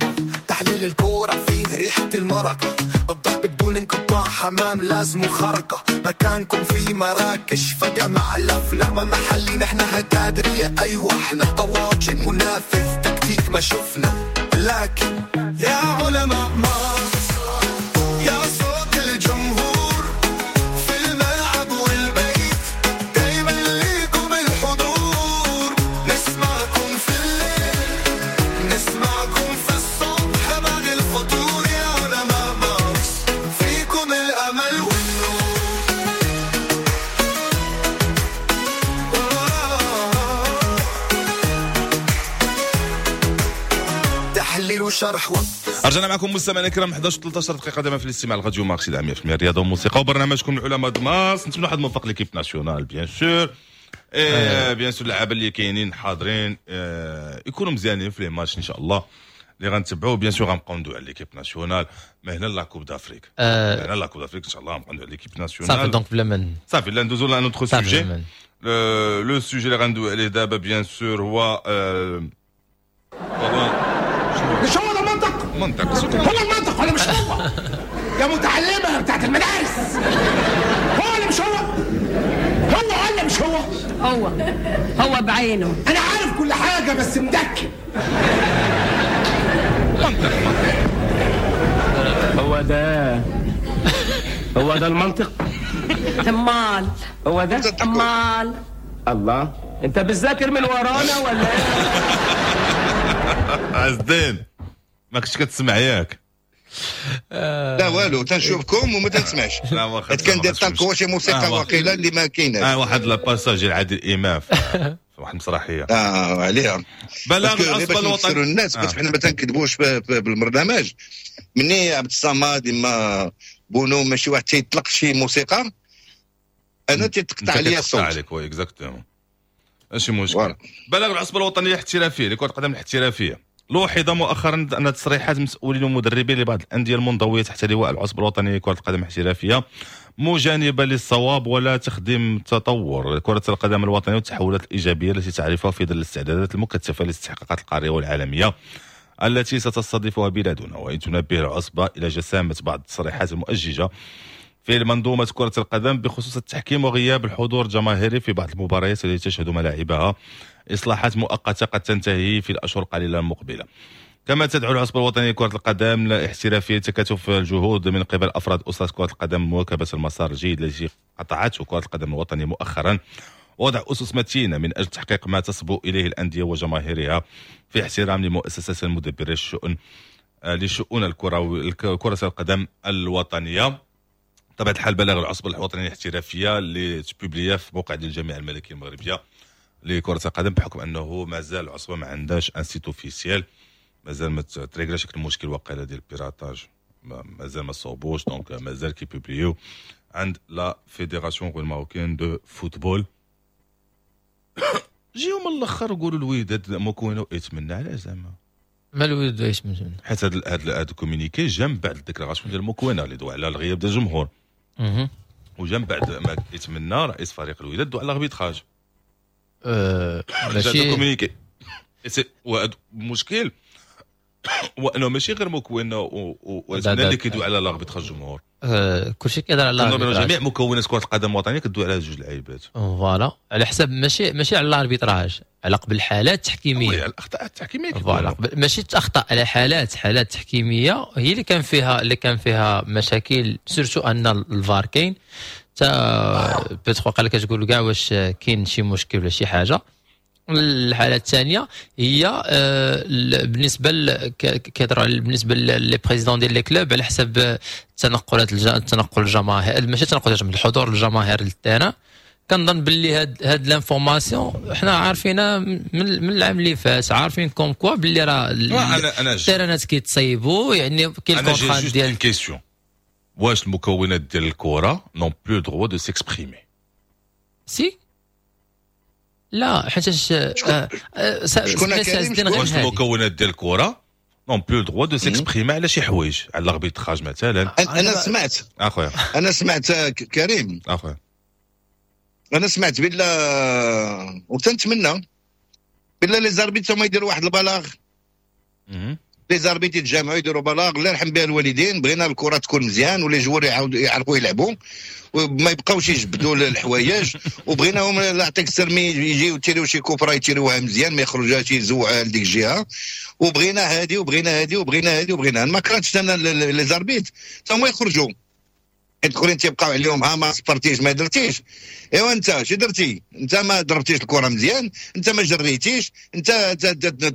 تحليل الكورة فيه ريحة المرقة، الضرب بدون انقطاع، حمام لازم خرقة، مكانكم في مراكش فجأة مع الأفلام محلي، نحن هتادرية أيوة احنا طواجن منافذ تكتيك ما شفنا، لكن يا علماء مارس يا صوت الجمهور، وشرح وقت. رجعنا معكم مستمعينا الكرام، 11 13 دقيقة دائما في الاستماع لراديو مارس 100% رياضة وموسيقى وبرنامجكم العلماء دماس. نتمنى واحد موفق l'équipe nationale، bien sûr، bien sûr اللعابه اللي كاينين حاضرين يكونوا مزيانين في les matchs ان شاء الله اللي غنتبعوا. bien sûr غنبقاو ندوي على l'équipe nationale ما هنا la Coupe d'Afrique، هنا la Coupe d'Afrique ان شاء الله غنبقاو ندوي على l'équipe nationale. صافي، donc بلا من صافي، لا ندوزو ل un autre sujet. le sujet اللي غندوي عليه دابا bien sûr هو مش هو ده المنطق؟ منطق هو المنطق ولا مش هو؟ يا متعلمة بتاعت المدارس، هو ولا مش هو؟ هو ولا مش هو؟ هو هو بعينه. انا عارف كل حاجة بس مدكن. منطق. هو ده، هو ده المنطق. امال هو ده. امال. الله، انت بتذاكر من ورانا ولا ايه؟ عز الدين، ما كنتش كتسمع ياك؟ لا والو، تنشوفكم وما تنسمعش. لا واخا. حيت كندير طالكو شي موسيقى واقيلا اللي ما كايناش. واحد le passage ديال عادل امام في واحد المسرحيه. اه عليها. بلاغ parce que غير العصبة باش نفسروا الوطنية الناس، باش حنا ما تنكذبوش بالبرنامج. مني عبد الصمد اما بونو ماشي واحد تيطلق شي موسيقى، انا تيتقطع انت عليا كتقطع الصوت. عليك، oui exactement، ماشي مشكل. voilà. بلاغ العصبة الوطنية الاحترافية لكرة القدم الاحترافيه. لوحظ مؤخرا ان تصريحات مسؤولين ومدربين لبعض الاندية المنضويه تحت لواء العصبة الوطنية لكرة القدم الاحترافية مجانبه للصواب ولا تخدم تطور كره القدم الوطنية والتحولات الايجابية التي تعرفها في ظل الاستعدادات المكثفة للاستحقاقات القارية والعالمية التي ستستضيفها بلادنا. وإن تنبه العصبة إلى جسامة بعض التصريحات المؤججة في منظومة كرة القدم بخصوص التحكيم وغياب الحضور الجماهيري في بعض المباريات التي تشهد ملاعبها إصلاحات مؤقتة قد تنتهي في الأشهر القليلة المقبلة. كما تدعو العصبة الوطنية لكرة القدم الاحترافية تكاتف الجهود من قبل أفراد أسرة كرة القدم، مواكبة المسار الجيد الذي قطعته كرة القدم الوطنية مؤخرا، وضع أسس متينة من أجل تحقيق ما تصبو إليه الأندية وجماهيرها في احترام لمؤسسات المدبرة الشؤون لشؤون الكرة كرة القدم الوطنية. طبعا الحال بلاغ العصبة الوطنية الاحترافية اللي ت publié في موقع ديال الجامعة الملكية المغربية لكرة القدم، بحكم أنه مازال العصبة ما عندهاش un site officiel، مازال ما تريغلاش المشكل وقيله ديال ال piratage، مازال ما صوبوش، donc مازال كي publier عند la Fédération marocaine de football. جيو من الاخر وقولوا الوداد موكوينا يتمنى، علاش زعما؟ ما الوداد ايش من حيت هاد ال communiqué جا من بعد ال déclaration ديال موكوينا اللي دوا على الغياب ديال الجمهور، وجا من بعد ما يتمنى رئيس فريق الوداد دوا على l'arbitrage. ماشي communiqué. المشكل هو انه ماشي غير موكوينا ويتمنى اللي كيدوي على l'arbitrage الجمهور. كلشي كيهضر على l'arbitrage. جميع مكونات كره القدم الوطنية كدوي على جوج لعيبات. voilà، على حسب ماشي على l'arbitrage، على قبل الحالات التحكيميه. على الاخطاء التحكيميه. voilà، ماشي اخطاء، على حالات تحكيميه هي اللي كان فيها مشاكل، surtout ان الفار كاين تا peut-être قال لك تقول كاع واش كاين شي مشكل ولا شي حاجه. الحالة الثانية هي بالنسبة كيهضروا بالنسبة les présidents ديال les clubs على حسب التنقلات، التنقل الجماهير، ماشي التنقل الجماهير، الحضور الجماهير لل terrain. كنظن باللي هاد l'information حنا عارفينها من العام اللي فات، عارفين comme quoi باللي راه انا التيرانات كيتصايبوا، يعني كاين ال contrat ديال question واش المكونات ديال الكره n'ont plus droit de s'exprimer؟ si لا، حيتاش شكون؟ واش المكونات ديال الكره n'ont plus droit de s'exprimer على شي حوايج، على l'arbitrage مثلا؟ انا سمعت اخويا. انا سمعت كريم. اخويا. انا سمعت بالله وتنتمنى بالله les arbitres هما يديروا واحد البلاغ، les arbitres يتجمعوا يديروا بلاغ، الله يرحم بها الوالدين، بغينا الكره تكون مزيان و les joueurs يعاودوا يعرفوا يلعبوا وما يبقاوش يجبدوا الحوايج، وبغيناهم لا يعطيك السرمي يجيو يتيريو شي coup franc يتيروها مزيان، ما يخرجوهاش يزوعوها لديك الجهه، وبغينا هادي وبغينا هادي وبغينا هادي وبغينا. ما كرهتش انا les arbitres هما يخرجوا، حيت الاخرين تيبقاو عليهم، ها ما صفرتيش، ما درتيش، ايوا انت شي درتي؟ انت ما ضربتيش الكره مزيان، انت ما جريتيش، انت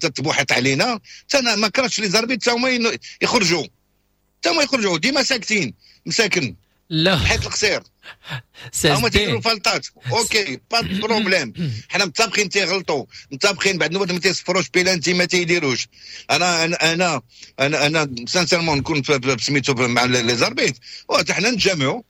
تتبوحط علينا. انا ما كرهتش les arbitres هما يخرجوا، حتى هما يخرجوا، ديما ساكتين مساكن. لا. حيت القصير. هما تيديروا فالطات، OK، pas de problème. حنا متفقين تيغلطوا، متفقين بعد النوبات ما تيصفروش بيلانتي، ما تيديروش. انا انا انا انا, أنا sincèrement نكون سميتو مع les arbitres، وحنا نتجمعوا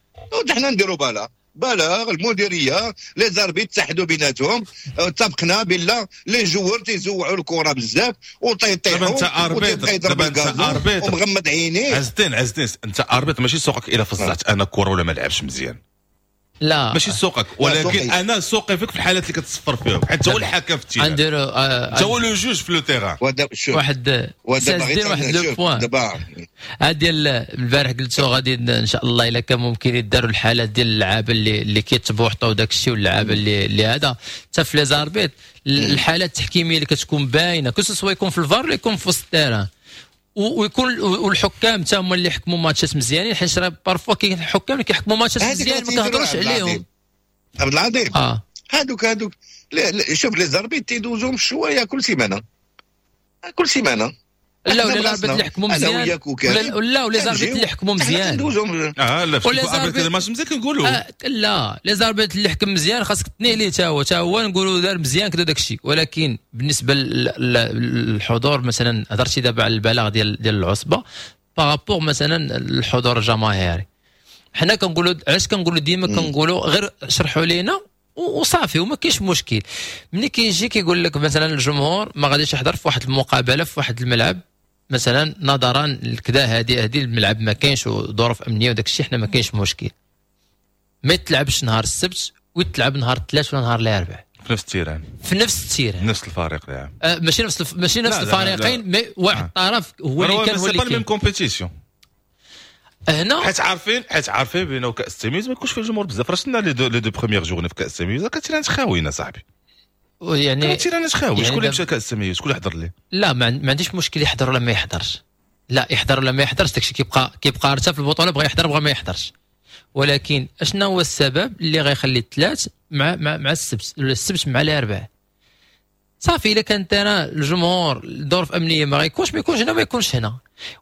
وحنا نديروا بلاغ المديريه، les arbitres تحدوا بيناتهم، اتفقنا بلا les joueurs تيزوعوا الكره بزاف وتيطيحوا. دابا انت arbitre، دابا انت arbitre ومغمض عينيه. عزتين عزتين، انت arbitre، ماشي سوقك الا فزعت انا كره ولا ما لعبش مزيان. لا، ماشي سوقك، ولكن انا سوقي فيك في الحالات اللي كتصفر فيهم، حيت هو الحكم في ال terrain، نديرو انت هو le juge في le terrain. واحد واحد le point دابا هاد ديال البارح قلتو غادي ان شاء الله الا كان ممكن يداروا الحالات ديال اللعابه اللي كيتبوحطوا وداك الشيء، واللعابه اللي هذا، حتى في les arbitres الحالات التحكيميه اللي كتكون باينه، que ce soit يكون في الفار ولا يكون في وسط ال terrain، ويكون والحكام حتى هما اللي حكموا ماتشات مزيانين، حيت راه parfois كاين حكام اللي كيحكموا ماتشات مزيان ما كنهضروش عليهم. عبد العظيم، هادوك شوف les arbitres تيدوزوهم شوية كل سيمانه، كل سيمانه. لا، ولا les arbitres اللي حكموا مزيان، ولا les arbitres اللي حكموا مزيان. اه لا، في الماتش مزيان كنقولوا. لا، les arbitres اللي حكم مزيان خاصك تنيه ليه، تا هو نقولوا دار مزيان كذا داك الشيء. ولكن بالنسبة للحضور مثلا، هضرتي دابا على البلاغ ديال العصبة par rapport مثلا الحضور الجماهيري، حنا كنقولوا، علاش كنقولوا ديما؟ كنقولوا غير شرحوا لينا وصافي وما كاينش مشكل. ملي كيجي كيقول لك مثلا الجمهور ما غاديش يحضر في واحد المقابلة في واحد الملعب مثلا نظرا لكذا، هذه الملعب ما كاينش وظروف امنية وداك الشيء، حنا ما كاينش مشكل ما يتلعبش نهار السبت ويتلعب نهار الثلاث ولا نهار الاربعاء. في نفس ال terrain. في نفس ال terrain. نفس الفريق لعب. ماشي نفس الفريقين، mais واحد الطرف هو اللي كان هو اللي كان même compétition. هنا حيت عارفين بانه كاس التمييز ما يكونش فيه الجمهور بزاف. راه شفنا les deux premières journées في كاس التمييز، كانت terrain خاويين صاحبي. يعني terrain خاوي يعني، شكون اللي مشى كاس التمييز؟ شكون اللي حضر ليه؟ لا، ما عنديش مشكل يحضر ولا ما يحضرش. لا، يحضر ولا ما يحضرش داكشي كيبقى حتى في البطوله، بغى يحضر بغى ما يحضرش. ولكن اشنا هو السبب اللي غيخلي الثلاث مع السبت ولا السبت مع الاربعاء؟ صافي، الا كان terrain الجمهور الظروف امنية ما غيكونش، ما يكونش هنا، ما يكونش هنا.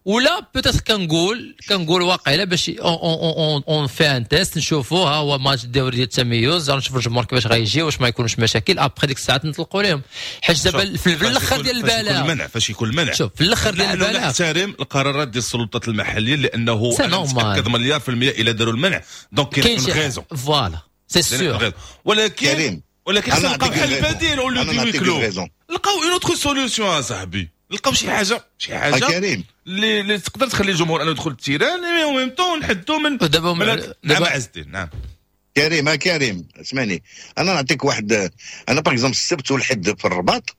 ولا peut-être كنقول واقيلا باش on fait un test، نشوفوا ها هو ماتش الدوري ديال التميز، نشوفوا الجمهور كيفاش غيجي، واش ما يكونوش مشاكل. après ديك الساعات نطلقوا لهم، حيت دابا في الاخر ديال البلاغ المنع، فاش يكون المنع. شوف، في الاخر ديال البلاغ نحترم القرارات ديال السلطات المحليه، لانه انا متاكد مليار في المية الى داروا المنع donc كاين raison. voilà، c'est sûr. ولكن خصنا نلقاو حل بديل au lieu de huis clos، لقاو une autre solution اصاحبي، لقاو شي حاجه كريم اللي تقدر تخلي الجمهور انه يدخل ال terrain mais en même temps نحدوا من دابا نعم عز الدين، نعم. كريم، كريم، اسمعني، انا نعطيك واحد. انا par exemple السبت والحد في الرباط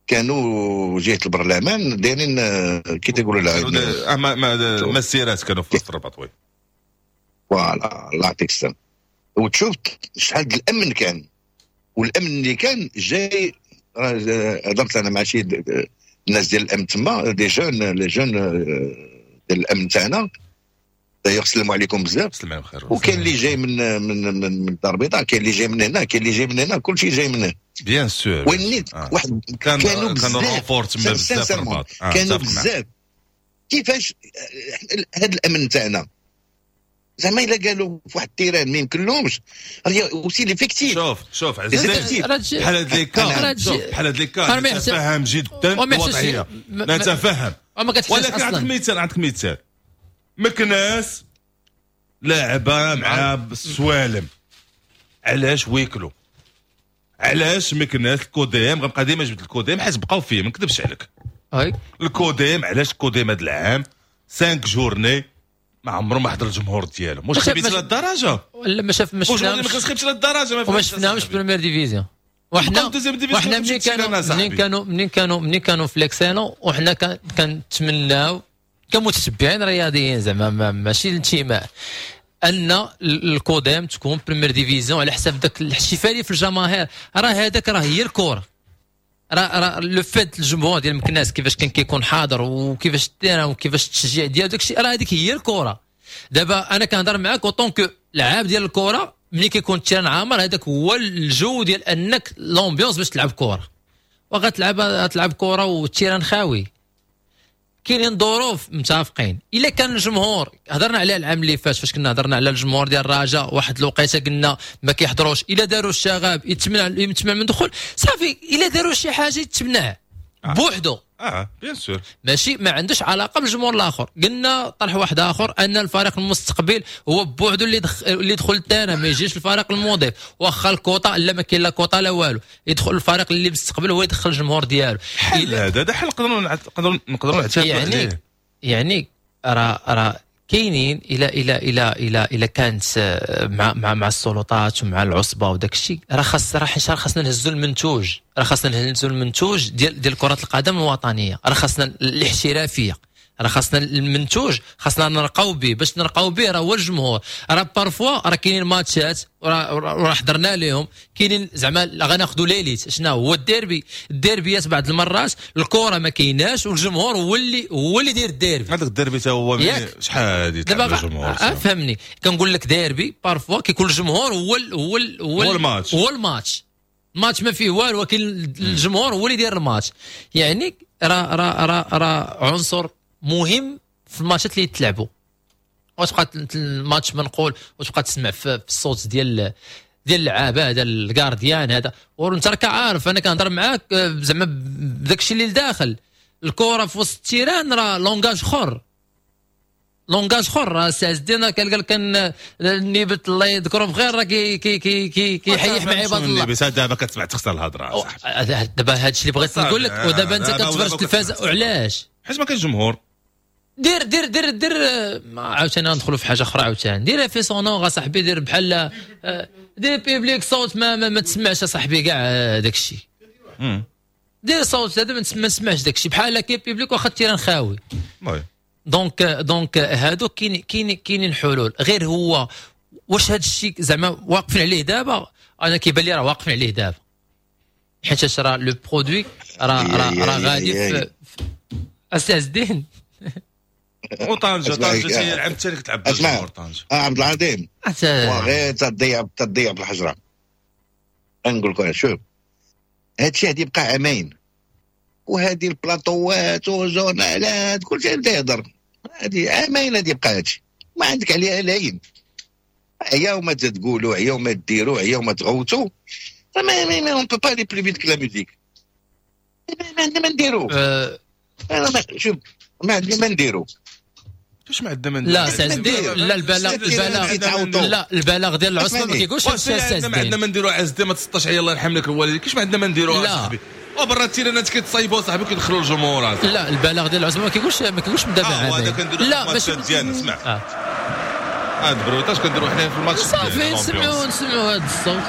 كانوا جهة البرلمان دايرين كي تيقولوا لها ما مسيرات كانوا في الرباط، oui. voilà، الله يعطيك السلام. وتشوف شحال الامن كان، والامن اللي كان جاي، هضرت انا مع شي الناس ديال الامن تما، des jeunes، les jeunes ديال الامن تاعنا، d'ailleurs سلموا عليكم بزاف. سلم خير. وكاين اللي جاي من الدار البيضاء، كاين اللي جاي من هنا، كاين اللي جاي من هنا، كلشي جاي من هنا. bien sûr. ونيت واحد كانوا بزاف، كانوا بزاف. كانوا بزاف. كيفاش هذا الامن تاعنا زعما الا قالوا في واحد ال terrain ما يمكنلهمش aussi l'effectif؟ شوف شوف عزيز، بحال هاد les cas، شوف بحال هاد les cas نتفهم جدا الوضعيه، نتفهم، ولكن عندك مثال، عندك مثال مكناس لاعبه مع السوالم، علاش huis clos؟ علاش مكناس الكوديم؟ غنبقى ديما جبت الكوديم حيت بقاو فيه، ما نكذبش عليك. الكوديم، علاش الكوديم هذا العام 5 journées ما عمره ما حضر الجمهور ديالو؟ واش خبيت لهاد ولا ما شاف ما شفناهمش، ما كنخيبش لهاد الدرجه. ما شفناهمش première division. وحنا منين كانوا في l'excellent، وحنا كنتمناو كمتتبعين رياضيين، زعما ماشي الانتماء، ان الكوديم تكون première division على حساب ذاك الاحتفالية في الجماهير. راه هذاك راه هي الكره، راه le fait الجمهور ديال مكناس كيفاش كان كيكون حاضر، وكيفاش ال terrain، وكيفاش التشجيع ديال داك الشيء، راه هذيك هي الكره. دابا انا كنهضر معاك en tant que لعاب ديال الكره، ملي كيكون ال terrain عامر هذاك هو الجو ديال انك l'ambiance باش تلعب كره، وغتلعب تلعب كره وال terrain خاوي. كاينين ظروف متفقين. الا كان الجمهور، هضرنا عليها العام اللي فات فاش كنا هضرنا على الجمهور ديال الرجاء، واحد الوقيته قلنا ما كيحضروش، الا داروا الشغب يتمنع من دخول، صافي. الا داروا شي حاجة يتمنع بوحدو. bien sûr، ماشي ما عندوش علاقة بالجمهور الاخر. قلنا طرح واحد اخر ان الفريق المستقبل هو بوحدو اللي يدخل ال terrain، ما يجيش الفريق المضيف، واخا الكوطا لا ما كاين لا كوطا لا والو، يدخل الفريق اللي مستقبل هو يدخل الجمهور ديالو. حل هذا حل نقدروا نعتمدوا عليه. يعني راه كاينين الى الى الى الى الى كانت مع مع مع السلطات ومع العصبة وداك الشيء، راه خاص راه خاصنا نهزوا المنتوج، راه خاصنا نهزوا المنتوج ديال كره القدم الوطنية، راه خاصنا الاحترافية، راه خاصنا المنتوج، خاصنا نرقاو به. باش نرقاو به راه هو الجمهور. راه parfois راه كاينين ماتشات وراه حضرنا لهم، كاينين زعما غناخذوا l'élite، شنو هو الديربي، الديربيات بعض المرات الكره ما كايناش والجمهور هو اللي داير الديربي. هذاك الديربي تا هو شحال هادي تاع الجمهور. فهمني كنقول لك ديربي parfois كيكون الجمهور هو هو هو الماتش، هو الماتش، الماتش ما فيه والو، ولكن الجمهور هو اللي داير الماتش. يعني راه راه راه راه عنصر مهم في الماتشات اللي يتلعبوا. وتبقى الماتش منقول وتبقى تسمع في الصوت ديال اللعابه، هذا ال gardien هذا، وانت راك عارف انا كنهضر معاك زعما بداك الشيء اللي لداخل الكره في وسط ال terrain، راه langage اخر، langage اخر. راه سي عز الدين قال كان النيبت الله يذكره بخير راه كي كي كي كي كيحيح مع عباد الله. النيبت دابا كتسمع تخسر الهضرة صاحبي. دابا هادشي اللي بغيت نقول لك. ودابا انت كتفرج التلفاز وعلاش؟ حيت ما كاينش جمهور. دير دير دير دير عاوتاني ندخلوا في حاجة اخرى عاوتاني. دير effet sonore اصاحبي، دير بحال دير public صوت ما تسمعش اصاحبي كاع داك الشيء. دير صوت هذا ما تسمعش داك الشيء، بحال كاين public واخا ال terrain خاوي. donc هادو كاينين حلول. غير هو واش هاد الشيء زعما واقفين عليه دابا؟ انا كيبان لي راه واقفين عليه دابا، حيت راه le produit راه غادي في استاذ الدين. وطنجة طنجة هي العام الثاني كتلعب بالجمهور طنجة. عبد العظيم وغير تضيع بالحجرة. نقول لك شوف هادشي هادي يبقى عامين، وهادي البلاطوات وجورنالات كلشي يبدا يهضر، هادي عامين هادي يبقى هادشي ما عندك عليها لاين. عياو ما تقولوا، عياو ما ديروا، عياو ما تغوتوا، ما on peut pas aller plus vite que la musique. ما عندنا ما نديرو. انا شوف ما عندنا ما نديرو. كيفاش ما عندنا ما نديرو؟ لا سي لا البلاغ لا البلاغ ديال العصبة ما كيقولش هادشي. ما عندنا ما نديرو عز الدين، ما تسطاش عليا الله يرحم لك الوالدين. كيفاش ما عندنا ما نديرو اصاحبي؟ وبرا التيرانات كيتصايبوا صاحبي كيدخلوا الجمهور. لا البلاغ ديال العصبة ما كيقولش من دابا عامين. لا ماشي ديالنا. اسمع هاد bruitage كنديرو حنا في الماتش صافي، نسمعوا هاد الصوت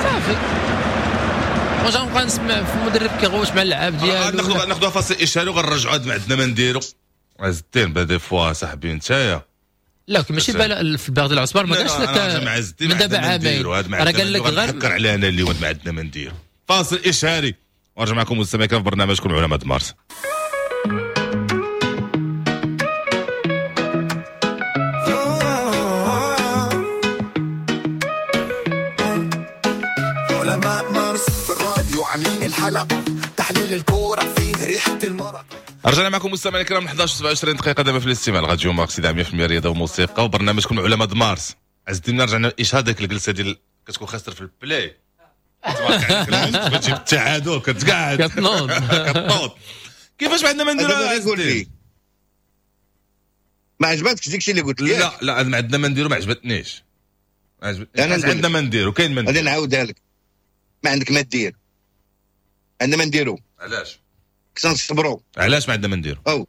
صافي. واش غنبقى نسمع في المدرب كيغوت مع اللعاب ديالو؟ ناخذوا فاصل اشهاري وغنرجعوا ما عندنا ما نديرو. عز الدين با des fois صاحبي نتايا. لا ماشي في الباغ ديال العصبة ما قالش لك من دابا عامين، راه قال لك غير فكر علينا انا اليوم ما عندنا ما نديرو. فاصل اشهاري ونرجع معكم مستمعين في برنامجكم علماء مارس. الحلقة، تحليل الكورة فيه ريحة المرض. رجعنا معكم مستمعينا الكرام 11:27 دقيقة دابا في الاستماع راديو مارس 100% رياضة وموسيقى وبرنامجكم علماء مارس. عز الدين رجعنا إشهاد ديك الجلسة ديال كتكون خاسر في البلاي تبارك تجيب التعادل كتقعد كتنوض كتنوض. كيفاش ما عندنا ما نديرو؟ قول لي ما عجبتكش داكشي اللي قلت لك؟ لا لا ما عندنا ما نديرو، ما عجبتنيش. ما عندنا ما نديرو، كاين ما نديرو. غادي نعاودها لك، ما عندك ما دير، عندنا ما نديرو. علاش؟ خصنا نصبروا. علاش ما عندنا ما نديرو؟ او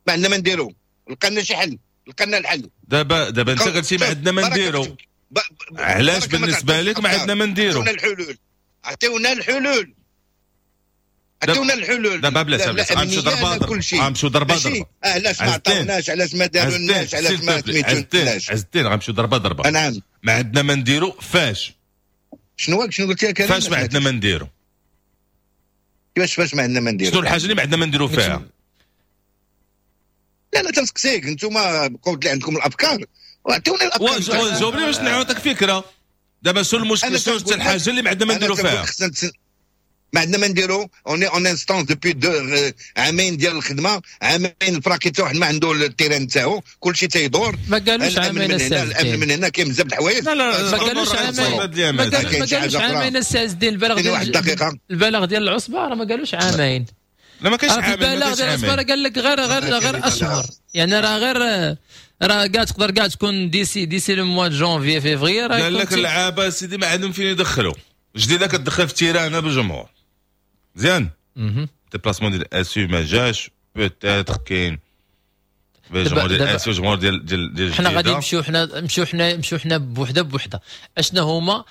ما عندنا ما نديرو، لقينا شي حل، لقينا الحل. دابا انت قلتي ما عندنا ما نديرو، علاش بالنسبة لك ما عندنا ما نديرو؟ عطيونا الحلول، عطيونا الحلول، عطيونا الحلول. دابا بلا بلا غنمشيو ضربه ضربه، غنمشيو ضربه ضربه. علاش ما عطاوناش؟ علاش ما دارولناش؟ علاش ما سميتوناش؟ عز الدين غنمشيو ضربه ضربه. نعم ما عندنا ما نديرو. فاش شنو قلت لك؟ فاش ما عندنا ما نديرو؟ كيفاش فاش ما عندنا ما نديرو؟ شنو الحاجة اللي ما عندنا ما نديرو فيها؟ لا لا تنسقسيك، انتوما قلت لي عندكم الافكار وعطيونا الافكار. جاوبني باش نعطيك فكرة. دابا شنو المشكل؟ شنو الحاجة اللي ما عندنا ما نديرو فيها؟ ما عندنا ما نديرو، on est en instance depuis deux عامين ديال الخدمة، عامين الفراقي حتى واحد ما عنده ال terrain تاعو، كلشي تيدور. ما قالوش الامن عامين من هنا، السي الامن من هنا، كاين بزاف د الحوايج. لا لا، ما قالوش عامين، ما قالوش عامين السي عز الدين. البلاغ ديال واحد دقيقة، البلاغ ديال العصبة راه ما قالوش عامين. لا ما كاينش عامين، البلاغ ديال العصبة راه قال لك غير غير غير اشهر، يعني راه غير راه كاع تقدر كاع تكون d'ici le mois janvier février. راه قال لك اللعابه سيدي ما عندهم فين يدخلوا. جديدة كتدخل في terrain بالجمهور مزيان، déplacement ديال اسيو ما جاش، peut-être كاين الجمهور ديال اسيو، الجمهور ديال ديال ديال حنا غادي نمشيو، حنا نمشيو، حنا نمشيو حنا بوحده بوحده. اشنا هما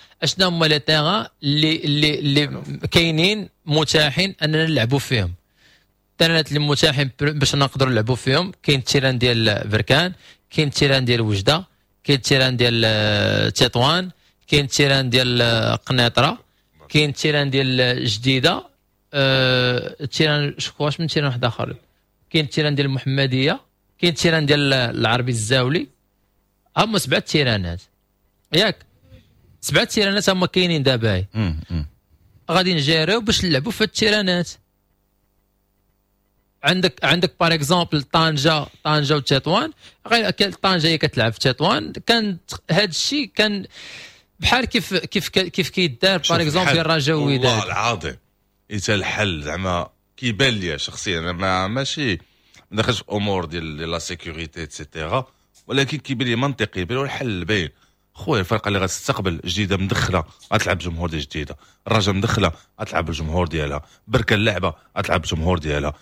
les terrains اللي كاينين متاحين اننا نلعبوا فيهم؟ التيرانات اللي متاحين باش نقدروا نلعبوا فيهم، كاين ال terrain ديال بركان، كاين ال terrain ديال وجده، كاين ال terrain ديال تطوان، كاين ال terrain ديال قنيطره، كاين ال terrain ديال جديده، ال terrain شكون واش من terrain واحد اخر، كاين ال terrain ديال المحمديه، كاين ال terrain ديال العربي الزاولي. هما سبعة تيرانات، ياك؟ سبعة تيرانات هما كاينين دابا، غادي نجيريو باش نلعبوا في التيرانات. عندك par exemple طنجه، طنجه وتطوان، غير طنجه هي كتلعب في تطوان. كان هذا الشيء كان بحال كيف كيدار par exemple ديال الرجاء والوداد. والله العظيم إذا الحل زعما كيبان لي شخصيا، انا ما ماشي ما دخلش في امور ديال la sécurité et cetera، ولكن كيبان لي منطقي، يبان الحل باين خويا. الفرقة اللي غتستقبل، جديدة مدخله غتلعب جمهور ديال جديده، الرجاء مدخله غتلعب الجمهور ديالها، بركان اللعبة غتلعب الجمهور ديالها،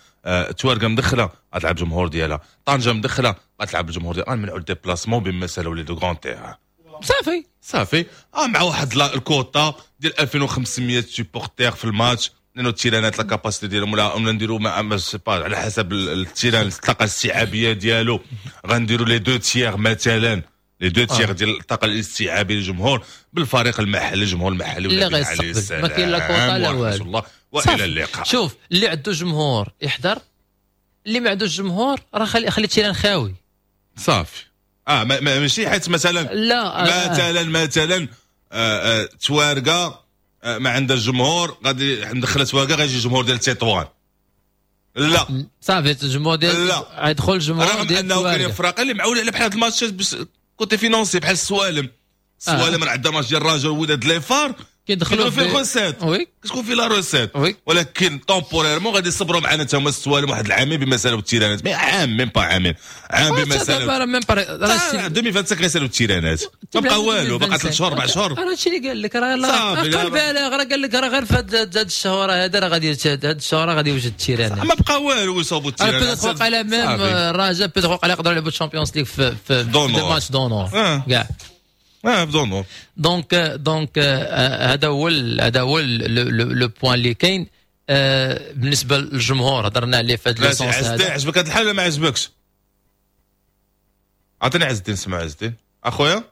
توارقه مدخله غتلعب الجمهور ديالها، طنجه مدخله غتلعب الجمهور ديالها. نمنعوا ال déplacement بما سالوا les deux grands terrains. صافي. صافي، مع واحد الكوطا ديال 2500 supporters في الماتش، لانه التيرانات la capacité ديالهم ولا نديروا ما sais pas، على حسب ال terrain الطاقة الاستيعابيه ديالو، غنديروا les deux tiers مثلا، les deux tiers ديال الطاقة الاستيعابيه للجمهور بالفريق المحلي، الجمهور المحلي. لا غيستقبل، ما كاين لا كوطا لا والو. الله والى اللقاء. شوف، اللي عنده جمهور يحضر، اللي ما عندوش جمهور راه خلي ال terrain خاوي. صافي، ماشي حيت مثلا لا. مثلا توارقه ما عندها الجمهور غادي ندخل توارقه غيجي الجمهور ديال تطوان، لا. صافي، الجمهور ديال لا. يدخل الجمهور رغم ديال انه كاين توارقة. فرق اللي معول على بحال هاد الماتشات باش côté financier، بحال السوالم. السوالم راه عندها ماتش ديال الرجاء والوداد les FAR كيدخلوا كيدخلوا في ال recette. كتكون في la recette. ولكن temporairement غادي يصبروا معنا تا هما السوالم واحد العامين بما سالوا التيرانات، mais عام، même pas عامين، عام بما سالوا même pas راه 2025 غيسالوا التيرانات، ما بقى والو، بقى 3 شهور، 4 شهور. راه هادشي اللي قال لك راه صافي، لا دابا. البلاغ راه قال لك راه غير في هاد الشهور هذا، راه غادي هاد الشهور غادي يوجد التيرانات. ما بقى والو يصوبوا راه التيرانات. peut-être وقع même صافي. الرجاء peut-être وقع يقدروا يلعبوا ال Champions League في d'honneur. des matchs d'honneur كاع. اه d'honneur. donc هذا هو le point اللي كاين. بالنسبة للجمهور هضرنا عليه في هذا لا le sens عز الدين هذا. عجبك هذا الحال ولا ما عجبكش؟ عطيني عز الدين، سمع عز الدين اخويا.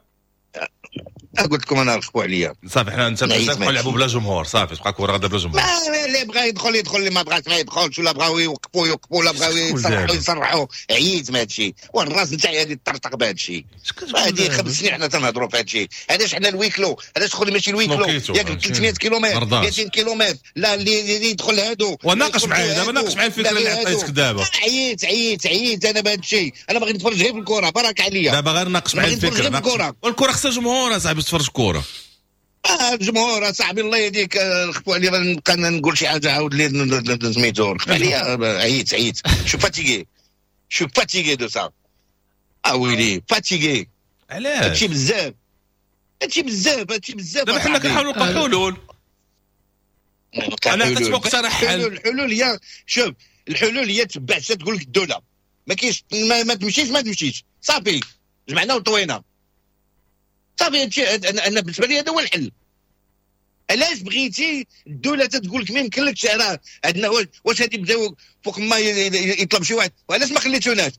قلت لكم انا رخبوا عليا. صافي، حنا انت نعيش بزاف ماشي. نلعبوا بلا جمهور، صافي، تبقى كره غدا بلا جمهور. ما اللي بغى يدخل يدخل، اللي ما بغاش ما يدخلش، ولا بغاو يوقفوا يوقفوا، ولا بغاو يصرحوا دابا؟ يصرحوا. عييت من هذا الشيء، والراس نتاعي هذه طرطق بهذا الشيء. هذه 5 سنين حنا تنهضروا في هذا الشيء. علاش حنا ال huis clos؟ علاش خلي ماشي ال huis clos؟ بلوكيتو. ياك 300 كيلومتر، مرضاش. 200 كيلومتر، لا اللي يدخل هادو وناقش يدخل معايا دابا، هادو. ناقش معايا الفكرة لا اللي غير هادو. عطيتك دابا. عييت عييت عييت انا بهذا الشيء. انا باغي نتفرج غير في الكره، بارك عليا. دابا غير ناقش معايا باغي نتفرج الفكره. غير في ناقش. الكره. والكره خصها جمهور اصاحبي تفرج كره. الجمهور اصاحبي الله يهديك، خفوا عليا، نبقى نقول شي حاجة عاود لي سميتو، رخف عليا. عييت عييت، je suis fatigué، je suis fatigué de ça. اه ويلي، fatigué. علاش؟ هادشي بزاف، هادشي بزاف، هادشي بزاف. دابا حنا كنحاولوا نلقاو حلول. انا عطيت مقترح حل. الحلول هي، شوف، الحلول هي تبع تقول لك الدوله، ما كاينش ما تمشيش، ما تمشيش، صافي، جمعنا وطوينا، صافي. هادشي انا بالنسبة لي هذا هو الحل. علاش بغيتي الدولة تقول لك ما يمكنلكش؟ راه عندنا واش هادي بداو فوق ما يطلب شي واحد، وعلاش ما خليتوناش؟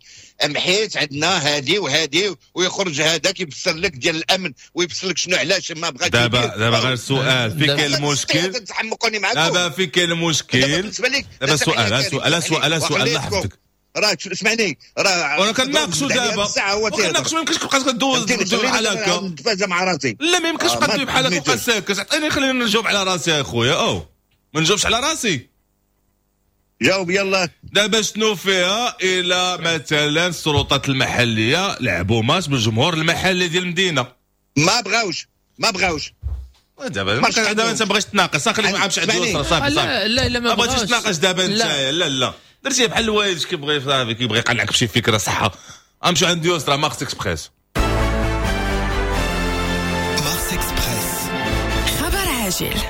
ام حيت عندنا هادي وهادي، ويخرج هذاك يفسر لك ديال الامن ويفسر لك شنو علاش ما بغاش. دابا غير سؤال، في كاين المشكل؟ تحمقوني معاكم. دابا في كاين المشكل؟ بالنسبة لك دابا سؤال سؤال سؤال سؤال، الله يحفظك. راه اسمعني، راه وانا كنناقشوا دابا، كنناقشوا، ما يمكنش تبقى كدوز بحال هكا. نتفاجئ مع راسي. لا، ما يمكنش تبقى تدوي بحال هكا وتبقى ساكت. عطيني، خليني نجاوب على راسي يا خويا. او ما نجاوبش على راسي. جاوب يلا. دابا شنو فيها الى مثلا السلطات المحلية لعبوا ماتش بالجمهور المحلي ديال المدينة؟ ما بغاوش ما بغاوش. دابا دابا انت بغيتش تناقش، خليك مع مش عند يسرى. صافي صافي. لا لا ما بغيتش تناقش دابا انت. لا لا درتي بحال الوالد كيبغي صافي كيبغي يقنعك بشي فكرة صحة. امشي عند يسرى. Mars Express. Mars Express خبر عاجل.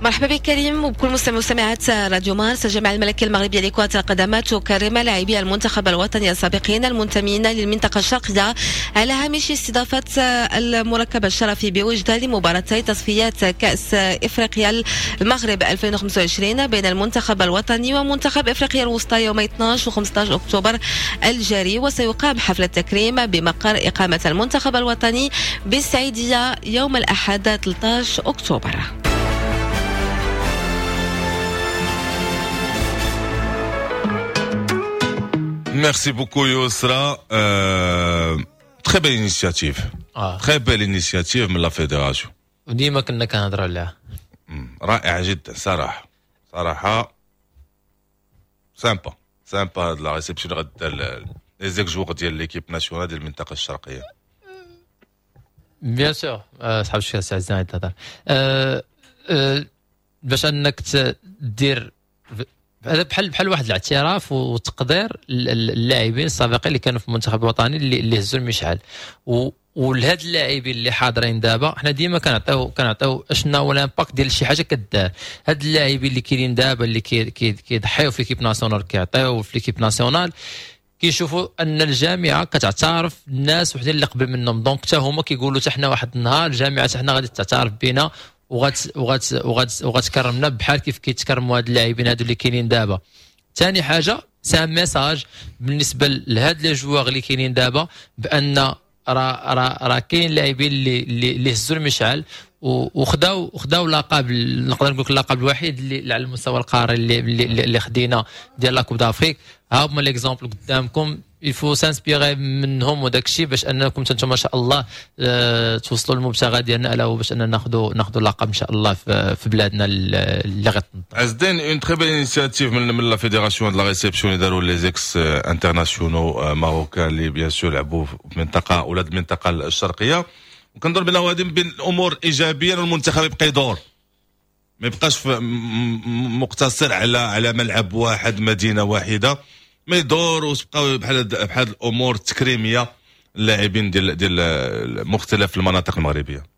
مرحبا بك كريم وبكل مستمع ومستمعات راديو مارس. الجامعة الملكية المغربية لكرة القدم تكرم لاعبي المنتخب الوطني السابقين المنتمين للمنطقة الشرقية على هامش استضافة المركب الشرفي بوجدة لمباراتي تصفيات كأس إفريقيا المغرب 2025 بين المنتخب الوطني ومنتخب إفريقيا الوسطى يوم 12 و 15 أكتوبر الجاري. وسيقام حفل التكريم بمقر إقامة المنتخب الوطني بالسعيدية يوم الأحد 13 أكتوبر. Merci beaucoup Yosra. Très belle initiative. Très belle initiative من la fédération. وديما كنا كنهضروا عليها. رائعة جدا صراحة. صراحة sympa sympa هاد la réception غدا les ex-joueurs ديال l'équipe nationale ديال المنطقة الشرقية. bien sûr صحاب الشيخ سي عزيز تهضر باش انك دير هذا بحال واحد الاعتراف وتقدير اللاعبين السابقين اللي كانوا في المنتخب الوطني اللي هزوا المشعل، ولهاد اللاعبين اللي حاضرين دابا حنا ديما كنعطيو اشنا هو l'impact ديال شي حاجة كدار. هاد اللاعبين اللي كاينين دابا اللي كيضحيو في l'équipe nationale، كيعطيو في l'équipe nationale، كيشوفوا ان الجامعة كتعترف الناس وحدين اللي قبل منهم، donc حتى هما كيقولوا حتى حنا واحد النهار الجامعة حتى حنا غادي تعترف بنا وغتكرمنا بحال كيف كيتكرموا هاد اللاعبين هادو اللي كاينين دابا. ثاني حاجة c'est un message بالنسبة لهاد les joueurs اللي كاينين دابا بان راه راه راه كاين لاعبين اللي هزوا المشعل وخداو لقب، نقدر نقول لك اللقب الوحيد اللي على المستوى القاري اللي خدينا ديال la Coupe d'Afrique. ها هما les exemples قدامكم، il faut s'inspirer منهم وداك الشيء باش انكم انتم ما شاء الله توصلوا للمبتغى ديالنا، الا هو باش اننا ناخذوا اللقب ان شاء الله في بلادنا اللي غتنظم. عز الدين une très belle initiative من la fédération de la réception اللي داروا les ex-internationaux marocains اللي bien sûr لعبوا في منطقة ولاد المنطقة الشرقية، وكنظن بانه هذه من بين الامور ايجابيا، والمنتخب يبقى يدور ما يبقاش مقتصر على ملعب واحد مدينة واحدة، ما يدور وتبقاو بحال الامور التكريميه اللاعبين ديال مختلف المناطق المغربية.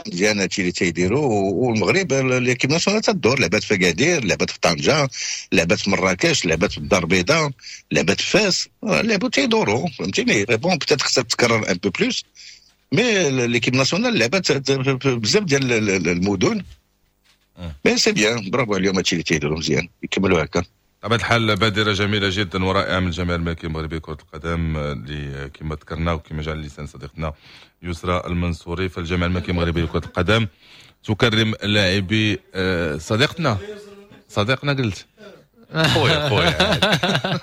مزيان هادشي اللي تيديروا، والمغرب l'équipe nationale تدور، لعبات في اكادير، لعبات في طنجه، لعبات في مراكش، لعبات في الدار البيضاء، لعبات في فاس، لعبوا تيدوروا فهمتيني. bon peut-être خصها تكرر un peu plus، mais l'équipe nationale لعبات بزاف ديال المدن. mais c'est bien، bravo عليهم هادشي اللي تيديروا مزيان، يكملوا هكا. بطبيعة الحال بادرة جميلة جدا ورائعة من الجامعة الملكية المغربية لكرة القدم اللي كما ذكرنا وكما جاء على لسان صديقتنا يسرى المنصوري، فالجامعة الملكية المغربية لكرة القدم تكرم لاعبي صديقنا قلت خويا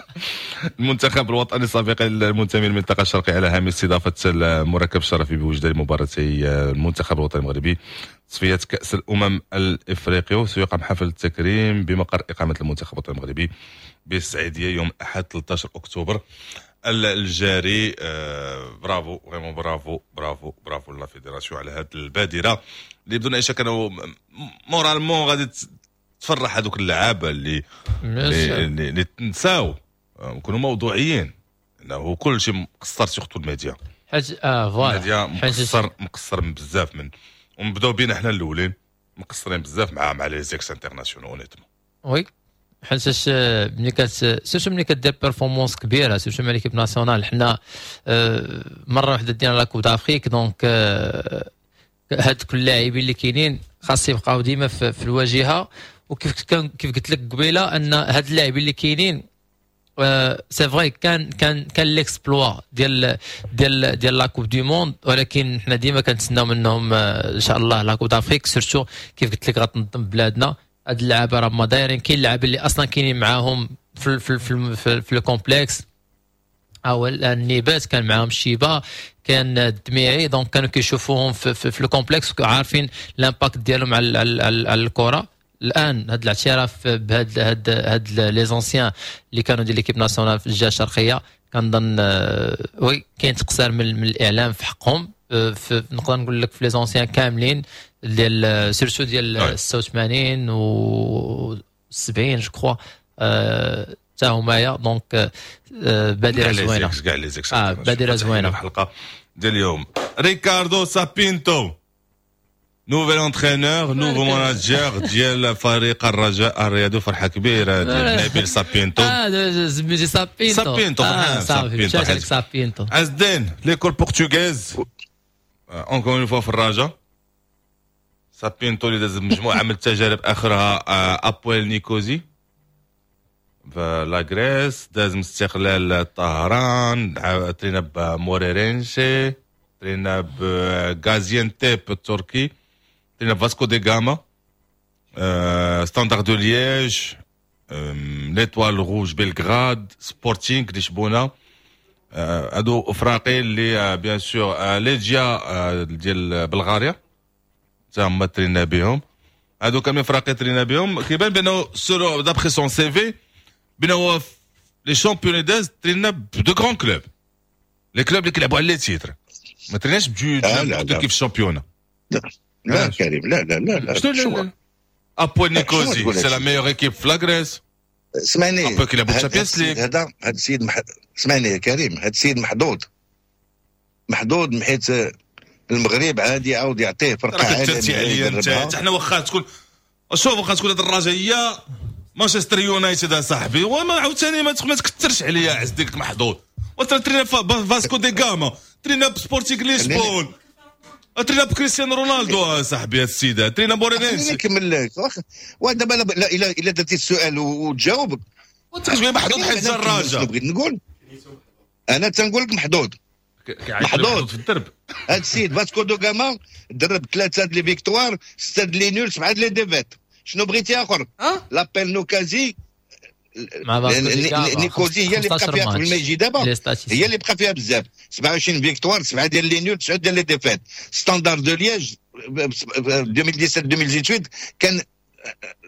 المنتخب الوطني السابق المنتمي للمنطقة الشرقية على هامش استضافة المركب الشرفي بوجدة لمباراتي المنتخب الوطني المغربي تصفية كأس الأمم الإفريقية، وسيقام حفل التكريم بمقر إقامة المنتخب الوطني المغربي بالسعيدية يوم الأحد 13 أكتوبر الجاري. bravo vraiment bravo bravo bravo la fédération على هذه البادرة اللي بدون أي شك أنه moralement غادي تفرح هذوك اللعابه اللي اللي تنساو، نكونوا موضوعيين انه كل شيء مقصر surtout الميديا. حيت voilà الميديا مقصر بزاف من ونبداو بينا حنا الاولين مقصرين بزاف مع les ex-internationaux honnêtement. oui حيتاش ملي surtout ملي كدير performance كبيرة surtout مع l'équipe nationale، حنا مرة واحدة دينا la Coupe d'Afrique، donc هاد كل اللاعبين اللي كاينين خاص يبقاو ديما في الواجهة. وكيف كيف قلت لك قبيلة ان هاد اللاعبين اللي كاينين c'est vrai كان كان كان l'exploit ديال ديال ديال la Coupe du Monde، ولكن حنا ديما كنتسناو منهم ان شاء الله la Coupe d'Afrique، surtout كيف قلت لك غتنظم بلادنا. هاد اللعابه راه ما دايرين، كاين اللعابه اللي اصلا كاينين معاهم في في في, في, في ال complexe، هو النيبات كان معاهم الشيبة، كان الدميعي، donc كانوا كيشوفوهم في ال complexe، عارفين l'impact ديالهم على الكره. الان هذا الاعتراف بهاد هاد هاد les anciens اللي كانوا ديال l'équipe nationale في الجهة الشرقيه، كنظن oui كاين تقصير من الاعلام في حقهم. نقدر نقول لك في les anciens كاملين ديال surtout ديال 86 و 70 je crois حتى همايا، donc بادره زوينة. كاع les ex. بادره زوينه. الحلقة ديال اليوم، ريكاردو سابينتو، nouvel entraîneur، nouveau manager ديال فريق الرجاء الرياضي، فرحه كبيرة ديال نبيل سابينتو. اه سميتي سابينتو. سابينتو. سابينتو، سابينتو. عز الدين، l'école portugaise encore une fois في الرجاء. سابينتو اللي داز مجموعة من التجارب، اخرها ابويل نيكوزي في la Grèce، داز من استقلال طهران، ترينا بموريرينشي، ترينا بغازيانتيب التركي، ترينا بفاسكو دي غاما، ستاندار دو ليج، ليتوال روج بلغراد، سبورتينغ لشبونه. هادو افراقي اللي bien sûr ليجيا ديال بلغاريا تا هما ترينا بهم. هادو كاملين فراقي ترينا بهم. كيبان بانه selon d'après son CV بانه les championnats داز، ترينا ب de grands clubs، les clubs اللي كيلعبوا على les titres، ما تريناش بدو كيف ال championnat. لا كريم، لا لا لا لا. شنو؟ ابويل نيكوزي c'est la meilleure équipe في la Grèce. اسمعني. ابويل كيلعبوا Champions League. هذا السيد اسمعني يا كريم، هذا السيد محظوظ، محظوظ حيت المغرب عادي يعاود يعطيه فرقه عالمية. عليا انت، حنا واخا تكون، شوف، واخا تكون هذه الرجاء مانشستر يونايتد صاحبي، وما عاوتاني ما تكثرش عليا. عز ديك محظوظ، وترينا فاسكو دي غاما، ترينا بسبورتينغ لشبون، ترينا بكريستيانو رونالدو صاحبي. هاد السيدة ترينا مورينينسي. نكمل لك، ودابا الا درتي السؤال وتجاوبك وانت كتقول محظوظ حيت الرجاء. بغيت نقول انا تنقول لك محظوظ، محظوظ في الدرب. هاد السيد فاسكو دو غاما درب 3 les victoires، 6 les nuls، 7 les défaites. شنو بغيتي اخر؟ لابيل نوكازي نيكوزي هي اللي بقى فيها قبل ما يجي دابا، هي اللي بقى فيها بزاف، 27 victoires، 7 ديال les nuls، 9 ديال les défaites. ستاندار دو ليج 2017 2018 كان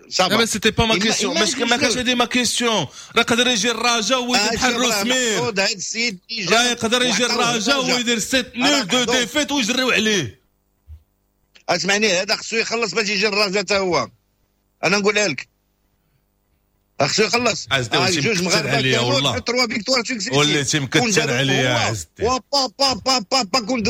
ça va. c'était pas ma question، ما كانش هذه ma question. راه قدر يجي الرجاء ويدير بحال روسمير. هذا السيد راه يقدر يجي الرجاء ويدير 7 nuls 2 défaites ويجريو عليه. اسمعني، هذا خصو يخلص باش يجي الرجاء حتى هو، انا نقولها لك خصو يخلص. جوج مغاربة عليا والله، 3 victoires. وليتي مكثر عليا عزتي. با با با با با كون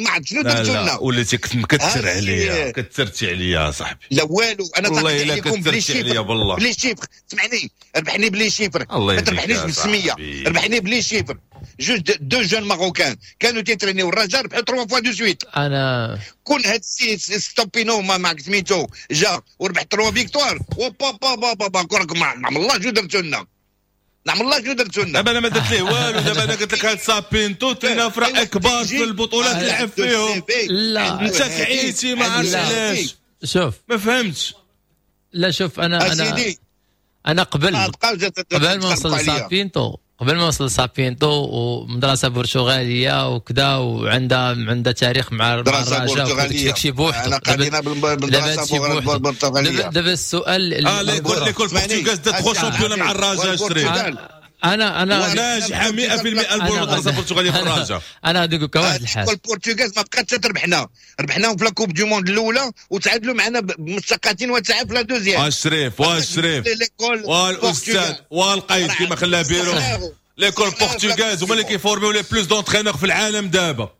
ما عرفت شنو درتو لنا. وليتي مكثر عليا، كثرتي عليا صاحبي. لا والو، انا والله الا كثرتي عليا بالله. ب les chiffres، سمعني، ربحني ب les chiffres، ما تربحنيش بالسميه، ربحني ب les chiffres. جوج deux jeunes marocains كانوا تيترينيو الرجاء ربحوا 3 fois de suite. انا كون هاد السيد ستوبينو ما سميتو جا وربح 3 victoires، وبا با با با با كون نعم الله شو درتو لنا، نعم الله شو درتو لنا. دابا انا ما درت ليه والو. دابا انا قلت لك هاد سابينتو ترينا فرق كبار في البطولات لعب فيهم. لا انت كعيتي ما عرفتش علاش. شوف ما فهمتش. لا شوف، انا انا انا قبل ما نوصل سابينتو، قبل ما وصل سابينتو ومدرسة برتغاليه وكذا، وعندها تاريخ مع الرجاء وداكشي بوحدو. انا قادينا بالمدرسة البرتغالية. دابا السؤال l'école portugaise دات 3 championnats مع الرجاء شريف. انا ناجحة 100% المدرسة البرتغالية في الرجاء. انا غادي نقول لك واحد الحاجة، البرتغال ما بقاتش تربحنا، ربحناهم في la Coupe du monde الاولى وتعادلوا معنا بمستقاتين وتسعة في la deuxième. اشريف واشريف والاستاذ والقيد كما خلاه بيرو. l'école portugaise هما اللي كيفورميو les plus d'entraîneurs في العالم دابا،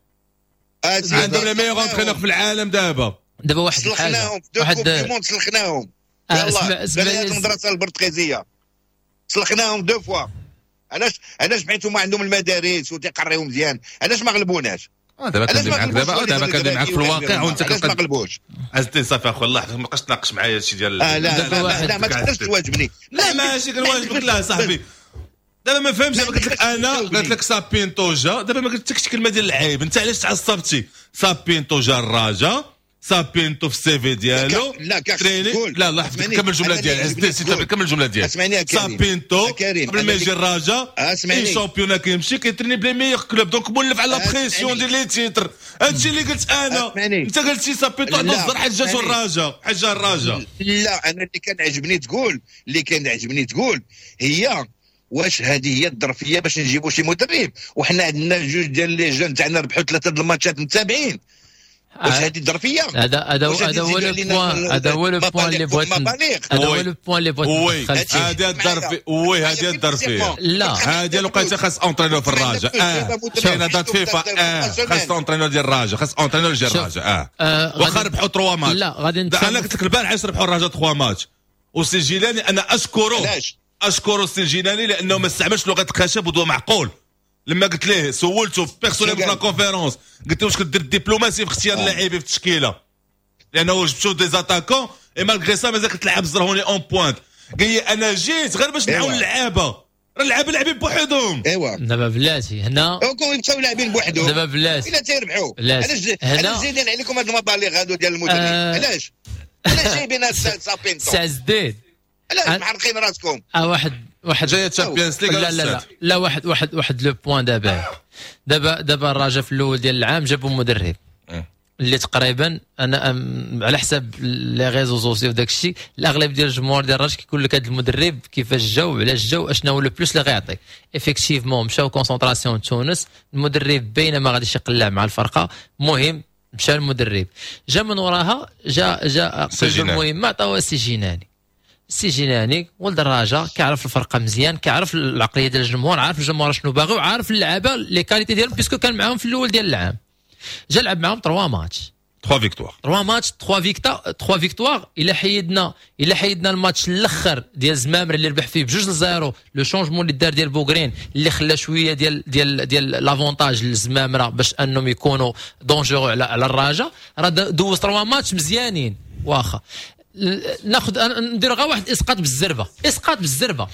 عندهم les meilleurs entraîneurs في العالم دابا. دابا واحد الحاجة، واحد Coupe du monde سلخناهم، يلاه المدرسة البرتغالية سلخناهم deux fois. علاش حيت هما عندهم المدارس وتيقريو مزيان، علاش ما غلبوناش؟ دابا كندير معاك، دابا كندير معاك في الواقع وانت ما غلبوش. عزتي صافي اخويا، الله ما بقاش تناقش معايا هادشي ديال لا لا لا، ما تقدرش تواجبني. لا ماشي كنواجبك، لا صاحبي دابا ما فهمتش. دابا قلت لك انا، قلت لك سابينتو جا، دابا ما قلتلكش كلمة ديال العيب، انت علاش تعصبتي؟ سابينتو جا الرجاء سابينتو في ال CV ديالو. لا تقول لا لا حفظك، كمل الجملة ديالي، كمل الجملة ديالي. سابينتو قبل ما يجي الرجاء اي championnat كيمشي كيتريني ب les meilleurs clubs، donc مولف على la pression ديال les titres. هادشي اللي قلت انا، انت قلتي سابينتو عنده الزهر حجاج الرجاء، حجاج الرجاء. لا انا اللي كان عجبني تقول، اللي كان عجبني تقول هي واش هذه هي الظرفية باش نجيبوا شي مدرب، وحنا عندنا جوج ديال les jeunes تاعنا ربحوا 3 د الماتشات متابعين. واش هذه الظرفية؟ هذا هو le point، هذا هو le point اللي بغيت، هذا هو le point اللي بغيت. oui هذه الظرفية، oui هذه الظرفية. لا هذه الوقيته خاص entraîneur في الرجاء. كاينه date FIFA، خاص entraîneur ديال الرجاء، خاص entraîneur ديال الرجاء. واخا ربحوا 3 ماتش. لا غادي انا قلت لك البارح علاش ربحوا الرجاء 3 ماتش. وسي جيلاني انا اشكره، اشكر السي الجيلاني لانه ما استعملش لغة الخشب ودوا معقول. لما قلت ليه سولته personnel في la conférence، قلت له واش كدير الدبلوماسي في اختيار اللاعبين في التشكيلة، لانه جبتو des attaquants et malgré ça مازال كتلعب الزرهوني en pointe. قال لي انا جيت غير باش نعاون اللعابه، راه اللعابه لاعبين بوحدهم. ايوا دابا بلاتي هنا كون يبقاو لاعبين بوحدهم دابا بلاتي الا تيربحوا. علاش علاش زايدين عليكم هاد المبالغ هادو ديال المدرب؟ علاش علاش جايبين هاد سابينتو؟ سي زديد علاش محرقين راسكم؟ واحد جاية Champions League. لا لا لا لا واحد واحد واحد le point. دابا الرجاء في الاول ديال العام جابوا مدرب اللي تقريبا انا على حساب les réseaux sociaux وداك الشيء الاغلب ديال الجمهور ديال الرجاء كيقول لك هذا المدرب كيفاش جا وعلاش جا واشنا هو le plus اللي غيعطي. effectivement مشاو concentration تونس، المدرب بينما غاديش يقلع مع الفرقة. المهم مشى المدرب، جا من وراها جا المهم عطاوها السي جيناني. السي جيناني ولد الرجاء كيعرف الفرقة مزيان، كيعرف العقلية ديال الجمهور، عارف الجمهور شنو باغي وعارف اللعابه les qualités ديالهم، puisque كان معاهم في الاول ديال العام. جا لعب معاهم 3 ماتش، 3 victoires، 3 ماتش 3 victoires. الا حيدنا الماتش الاخر ديال زمامر اللي ربح فيه 2-0، le changement اللي دار ديال بوغرين اللي خلى شوية ديال ديال ديال l'avantage للزمامره باش انهم يكونوا dangereux على الرجاء. راه دوز 3 ماتش مزيانين. واخا ناخذ ندير غير واحد اسقاط بالزربه، اسقاط بالزربه.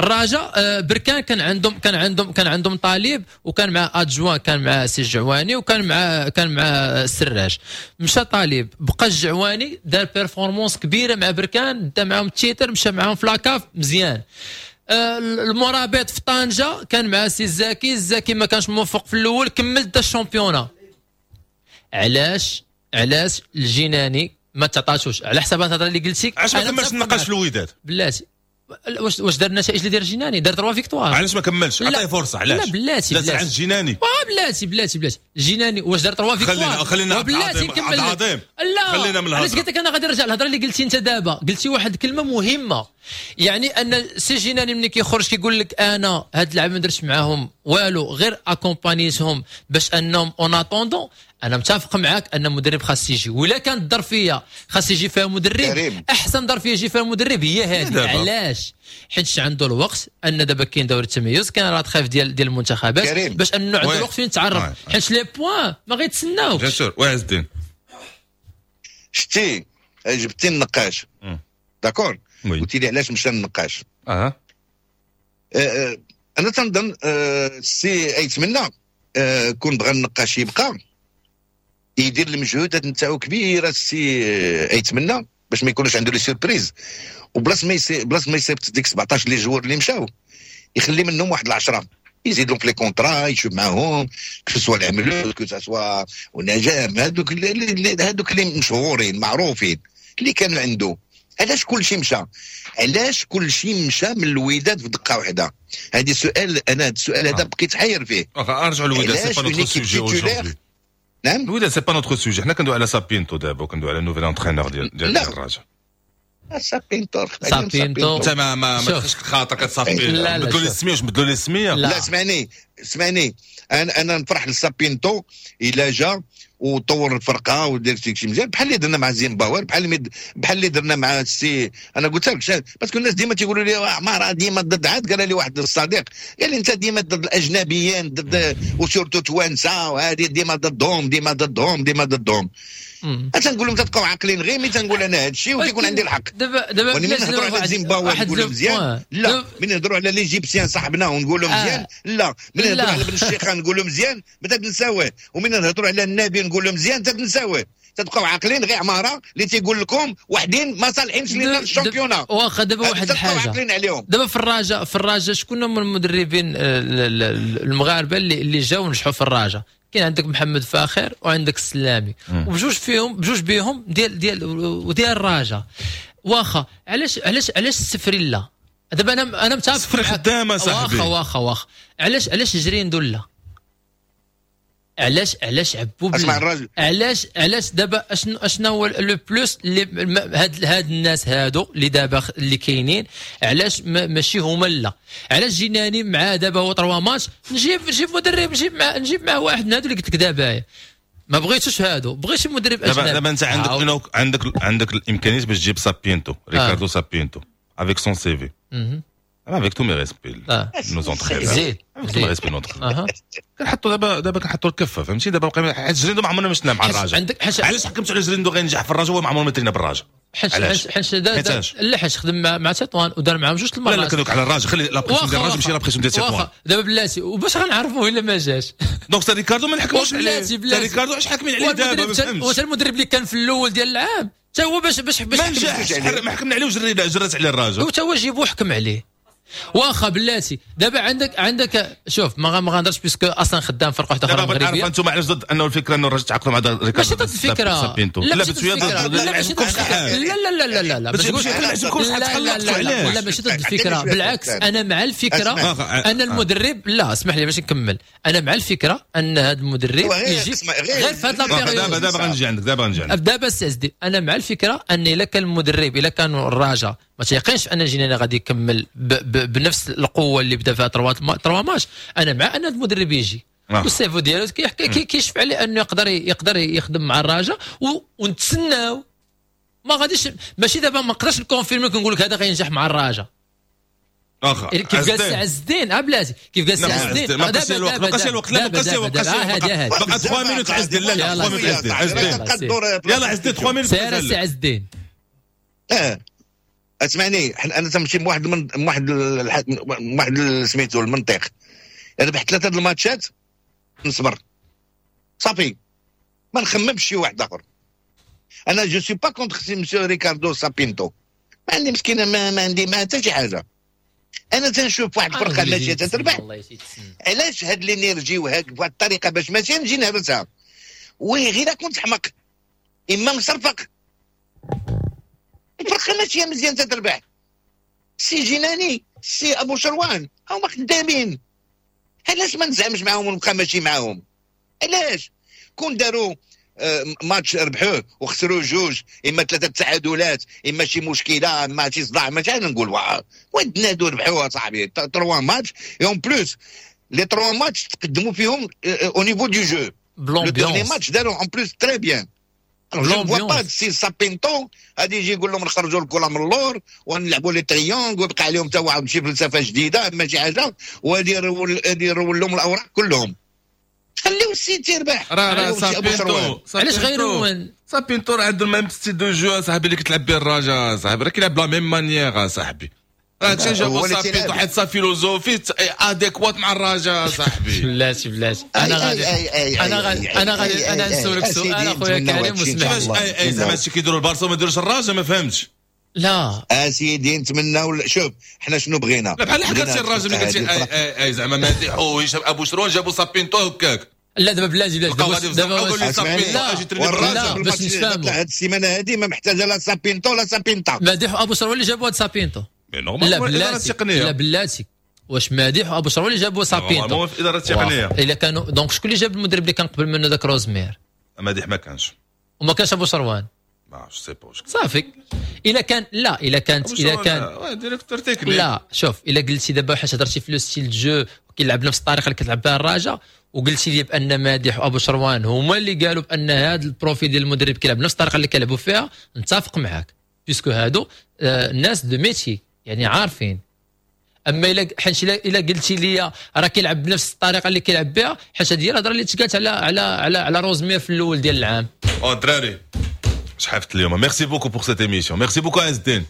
الرجاء بركان كان عندهم كان عندهم كان عندهم طالب، وكان مع adjoint، كان مع سي الجعواني، وكان مع كان مع السراج. مشى طالب، بقى الجعواني دار performance كبيرة مع بركان، دا معاهم ال titre، مشى معاهم في la CAF مزيان. المرابط في طنجه كان مع سي الزاكي، الزاكي ما كانش موفق في الاول، كمل دا ال championnat. علاش الجناني ما تعطاتوش على حساب الهضرة اللي قلتي؟ علاش ما كملش النقاش في الوداد؟ بلاتي واش دار النتائج اللي دار الجناني؟ دار 3 victoires. علاش ما كملش؟ عطية فرصة. علاش؟ لا بلاتي بلاتي عند الجناني. بلاتي بلاتي بلاتي الجناني واش دار 3 victoires؟ خلينا بلاتي نكمل. لا خلينا من الهضرة. علاش قلت لك انا غادي نرجع للهضره اللي قلتي انت دابا؟ قلتي واحد الكلمة مهمة، يعني ان سي جناني ملي كيخرج كيقول لك انا هاد اللعابه ما درتش معاهم والو، غير accompagné تهم باش انهم en attendant. انا متفق معاك ان مدرب خاص يجي، ولا كانت الظرفية خاص يجي فيها مدرب. احسن ظرفيه يجي فيها مدرب هي هذه. علاش؟ حيت عنده الوقت، ان دابا كاين دوري التميز، كاين la trêve ديال المنتخبات، باش انه عنده الوقت فين يتعرف، حيت les points ما غيتسناوكش. bien sûr. وعز الدين شتي جبتي النقاش، d'accord؟ قلتي لي علاش مشى النقاش. انا تنظن السي ايتمنى كون بغى النقاش يبقى يدير المجهودات نتاعو كبيرة السي ايتمنى باش ما يكونوش عنده les surprises، وبلاص ما بلاص ما يصيفط ديك 17 les joueurs اللي مشاو يخلي منهم واحد 10 يزيد لهم في les contrats، يشوف معاهم que ce soit العملود que ce soit ونجام، هذوك اللي مشهورين معروفين اللي كانوا عنده. علاش كل شيء مشى؟ علاش كل شيء مشى من الوداد في دقه واحدة؟ هذا سؤال، انا هذا السؤال هذا بقيت حير فيه. ارجعوا للوداد، c'est pas notre sujet aujourd'hui. نعم الوداد c'est pas notre sujet. حنا كندوي على سابينتو دابا، وكندوي على nouvel entraîneur ديال الرجاء. سابينتو سابينتو انت ما تخش خاطرك سابينتو، بدلوا لي السمية. واش بدلوا لي السمية؟ لا اسمعني انا نفرح لسابينتو الا جا وطور الفرقة ودير شي مزيان بحال اللي درنا مع زيمباور، بحال اللي درنا مع السي. انا قلت لك parce que الناس ديما تيقولوا لي عمارة ديما ضد. عاد قال لي واحد الصديق قال لي انت ديما ضد الاجنبيين، ضد و surtout توانسة وهذه ديما ضدهم ديما ضدهم ديما ضدهم. تنقول لهم تبقاو عاقلين غير ملي تنقول انا هذا الشيء وتيكون عندي الحق. دابا ملي نهضروا على زيمباوي نقولوا مزيان، لا ملي نهضروا على les Égyptiens صاحبنا ونقولوا مزيان، لا ملي نهضروا على بن الشيخه نقولوا مزيان ما تنساوه، وملي نهضروا على النبي نقولوا مزيان تنساوه. تبقاو عاقلين غير عمارة اللي تيقول لكم وحدين ما صالحينش لينا في ال championnat. واخا دابا واحد الحاجة، دابا في الرجاء شكون هما المدربين المغاربة اللي جاو ونجحوا في الرجاء؟ كاين عندك محمد فاخر وعندك السلامي، وبجوج فيهم بجوج بيهم ديال ديال وديال الرجاء. واخا علاش علاش علاش السفري لا؟ دابا انا متفق، السفري خدامه صاحبي. واخا واخا علاش جريندو لا؟ علاش عبو؟ اسمع الراجل، علاش دابا اشنو هو le plus اللي هاد الناس هادو اللي دابا اللي كاينين، علاش ماشي هما لا؟ علاش جيناني مع دابا هو 3 ماتش نجيب مدرب، نجيب معاه واحد من هادو اللي قلت لك دابا ما بغيتوش هادو، بغيت شي مدرب اجنبي. دابا انت عندك الامكانيات باش تجيب سابينتو، ريكاردو سابينتو avec son CV. Avec tous mes respects, nos entraîneurs. Avec tous mes respects, notre. كنحطوا دابا كنحطوا الكفة، فهمتي؟ دابا بقى حيت جريندو ما عمرنا ما شفناه مع الرجاء. علاش حكمت على جريندو غينجح في الرجاء وهو ما عمره ما ترينا بالرجاء؟ حيت لا، حيت خدم مع تطوان ودار معاهم جوج المرات. لا كندوك على الرجاء، خلي la pression ديال الرجاء ماشي la pression ديال تطوان. دابا بلاتي، وباش غنعرفوه الا ما جاش؟ donc تا ريكاردو ما نحكموش عليه. ريكاردو علاش حاكمين عليه دابا؟ ما فهمتش. واش المدرب اللي كان في الاول ديال العام حتى هو باش ما نجحش، ما حكمنا عليه وجرات عليه الرجاء، وتا هو جيبو حكم عليه. واخا بلاتي دابا عندك شوف ما غنهضرش parce que اصلا خدام فرقه واحدة اخرى مغربية. دابا انتم علاش ضد انه الفكرة انه الرجاء تعاقدوا مع ريكاردو؟ ماشي ضد الفكرة، لا لا لا لا لا لا لا لا ماشي ضد الفكرة، بالعكس انا مع الفكرة. انا المدرب لا اسمح لي باش نكمل، انا مع الفكرة ان هذا المدرب يجي غير في هذا la période. دابا غنجي عندك، دابا غنجي عندك دابا السي انا مع الفكرة ان الا كان المدرب، الا كان الرجاء ما تيقينش ان جيناني غادي يكمل بنفس القوة اللي بدا فيها 3 ماتش، انا مع ان المدرب يجي وال CV ديالو كيشف عليه انه يقدر يخدم مع الرجاء ونتسناو. ما غاديش ماشي دابا ما نقدرش ن confirmer كنقول لك هذا غينجح مع الرجاء. واخا كيف قال السي عز الدين، بلاتي كيف قال السي عز الدين، ما بقاش الوقت، ما بقاش الوقت، لا ما بقاش الوقت، بقى 3 minutes عز الدين. لا لا 3 minutes عز الدين، يلا عز الدين 3 minutes. سير السي عز الدين. اسمعني، انا تمشي بواحد من واحد واحد سميتو المنطق. ربحت 3 الماتشات نصبر صافي، ما نخممش شي واحد اخر. انا je suis pas contre سي مسيو ريكاردو سابينتو، ما عندي مسكينه، ما عندي ما حتى شي حاجة. انا تنشوف واحد الفرقة ماشية تتربح، علاش هاد l'énergie وهاد بواحد الطريقة باش ماشية نجي نهرسها؟ oui غير كنت حمق اما مصرفق. الفرقة ماشية مزيان تتربح. سي جناني، سي ابو شروان، هما خدامين، علاش ما نزعمش معاهم ونبقى ماشي معاهم؟ علاش؟ كون داروا ماتش ربحوه وخسروا جوج، اما 3 تعادلات، اما شي مشكلة، اما شي صداع، ما نقول وين نادو ربحوها صاحبي 3 matchs، en plus les 3 ماتش تقدموا فيهم au niveau du jeu. le dernier match داروا en plus très bien. je vois pas سي سابينتو غادي يجي يقول لهم نخرجوا الكره من اللور ونلعبوا les triangles ويبقى عليهم حتى واحد شي فلسفة جديدة اما شي حاجة، وغادي يرول لهم الاوراق كلهم. خليو السيد يربح. راه سابينتو علاش غيرون سابينتو راه عنده ال même style de jeu صاحبي اللي كتلعب به الرجاء صاحبي، راه كيلعب la même manière صاحبي. راه تجاوب سابينتو حيت sa philosophie adéquate مع الرجاء صاحبي. بلاتي بلاتي، انا غادي انا غادي انا نسولك سؤال اخويا كريم واسمح لي. اي زعما هادشي كيديروا البارسا وما يديروش الرجاء، ما فهمتش. لا اسيدي نتمناو. شوف حنا شنو بغينا؟ لا بحال حكرتي الراجل اللي قلتي اي اي زعما مادح وهشام ابو شروان جابوا سابينتو هكاك. لا دابا بلاتي بلاتي دابا لا باش نتفاهموا، هاد السيمانة هادي ما محتاجه لا سابينتو لا سابينتا. مادح وابو شروان اللي جابوا هاد سابينتو. لا بلاتي، لا بلاتي، واش مادح وابو شروان اللي جابوا سابينتو؟ في الادارة التقنية الا كانوا donc شكون اللي جاب المدرب اللي كان قبل منه؟ داك روزمير. مادح ما كانش، وما كانش ابو شروان. ما sais pas صافي. الا كان لا الا كانت الا كان directeur technique. لا شوف، الا قلتي دابا حيت هضرتي في le style de jeu كيلعب نفس الطريقة اللي كتلعب بها الرجاء، وقلتي لي بان مادح وابو شروان هما اللي قالوا بان هذا ال profil ديال المدرب كيلعب نفس الطريقة اللي كيلعبوا فيها، نتفق معاك puisque هادو الناس de métier يعني عارفين. اما الا حيت الا قلتي لي راه كيلعب بنفس الطريقة اللي كيلعب بها، حيت هذه الهضرة اللي تقالت على على على على روزمير في الاول ديال العام. او دراري شحفت اليوم. merci beaucoup pour cette émission، merci beaucoup عز الدين.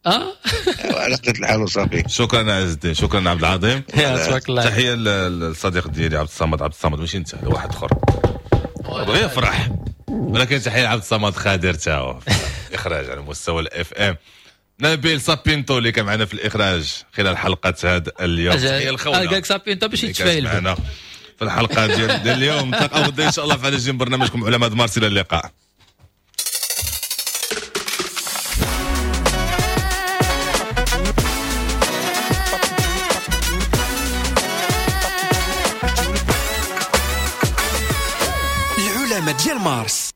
على قلة الحال وصافي. شكرا عز الدين، شكرا عبد العظيم. تبارك الله. تحية للصديق ديالي عبد الصمد. عبد الصمد ماشي انت، واحد اخر بغى يفرح. ولكن تحية لعبد الصمد خادر تا هو اخراج على مستوى ال FM، نبيل سابينتو اللي كان معنا في الاخراج خلال حلقة هذا اليوم. تحية الخوله قال لك سابينتو باش اللي كانت يتفايل. معنا في الحلقة ديال اليوم. نتلاقاو غدا ان شاء الله في هذا الجيم برنامجكم علماء مارس. الى اللقاء. العلماء ديال مارس.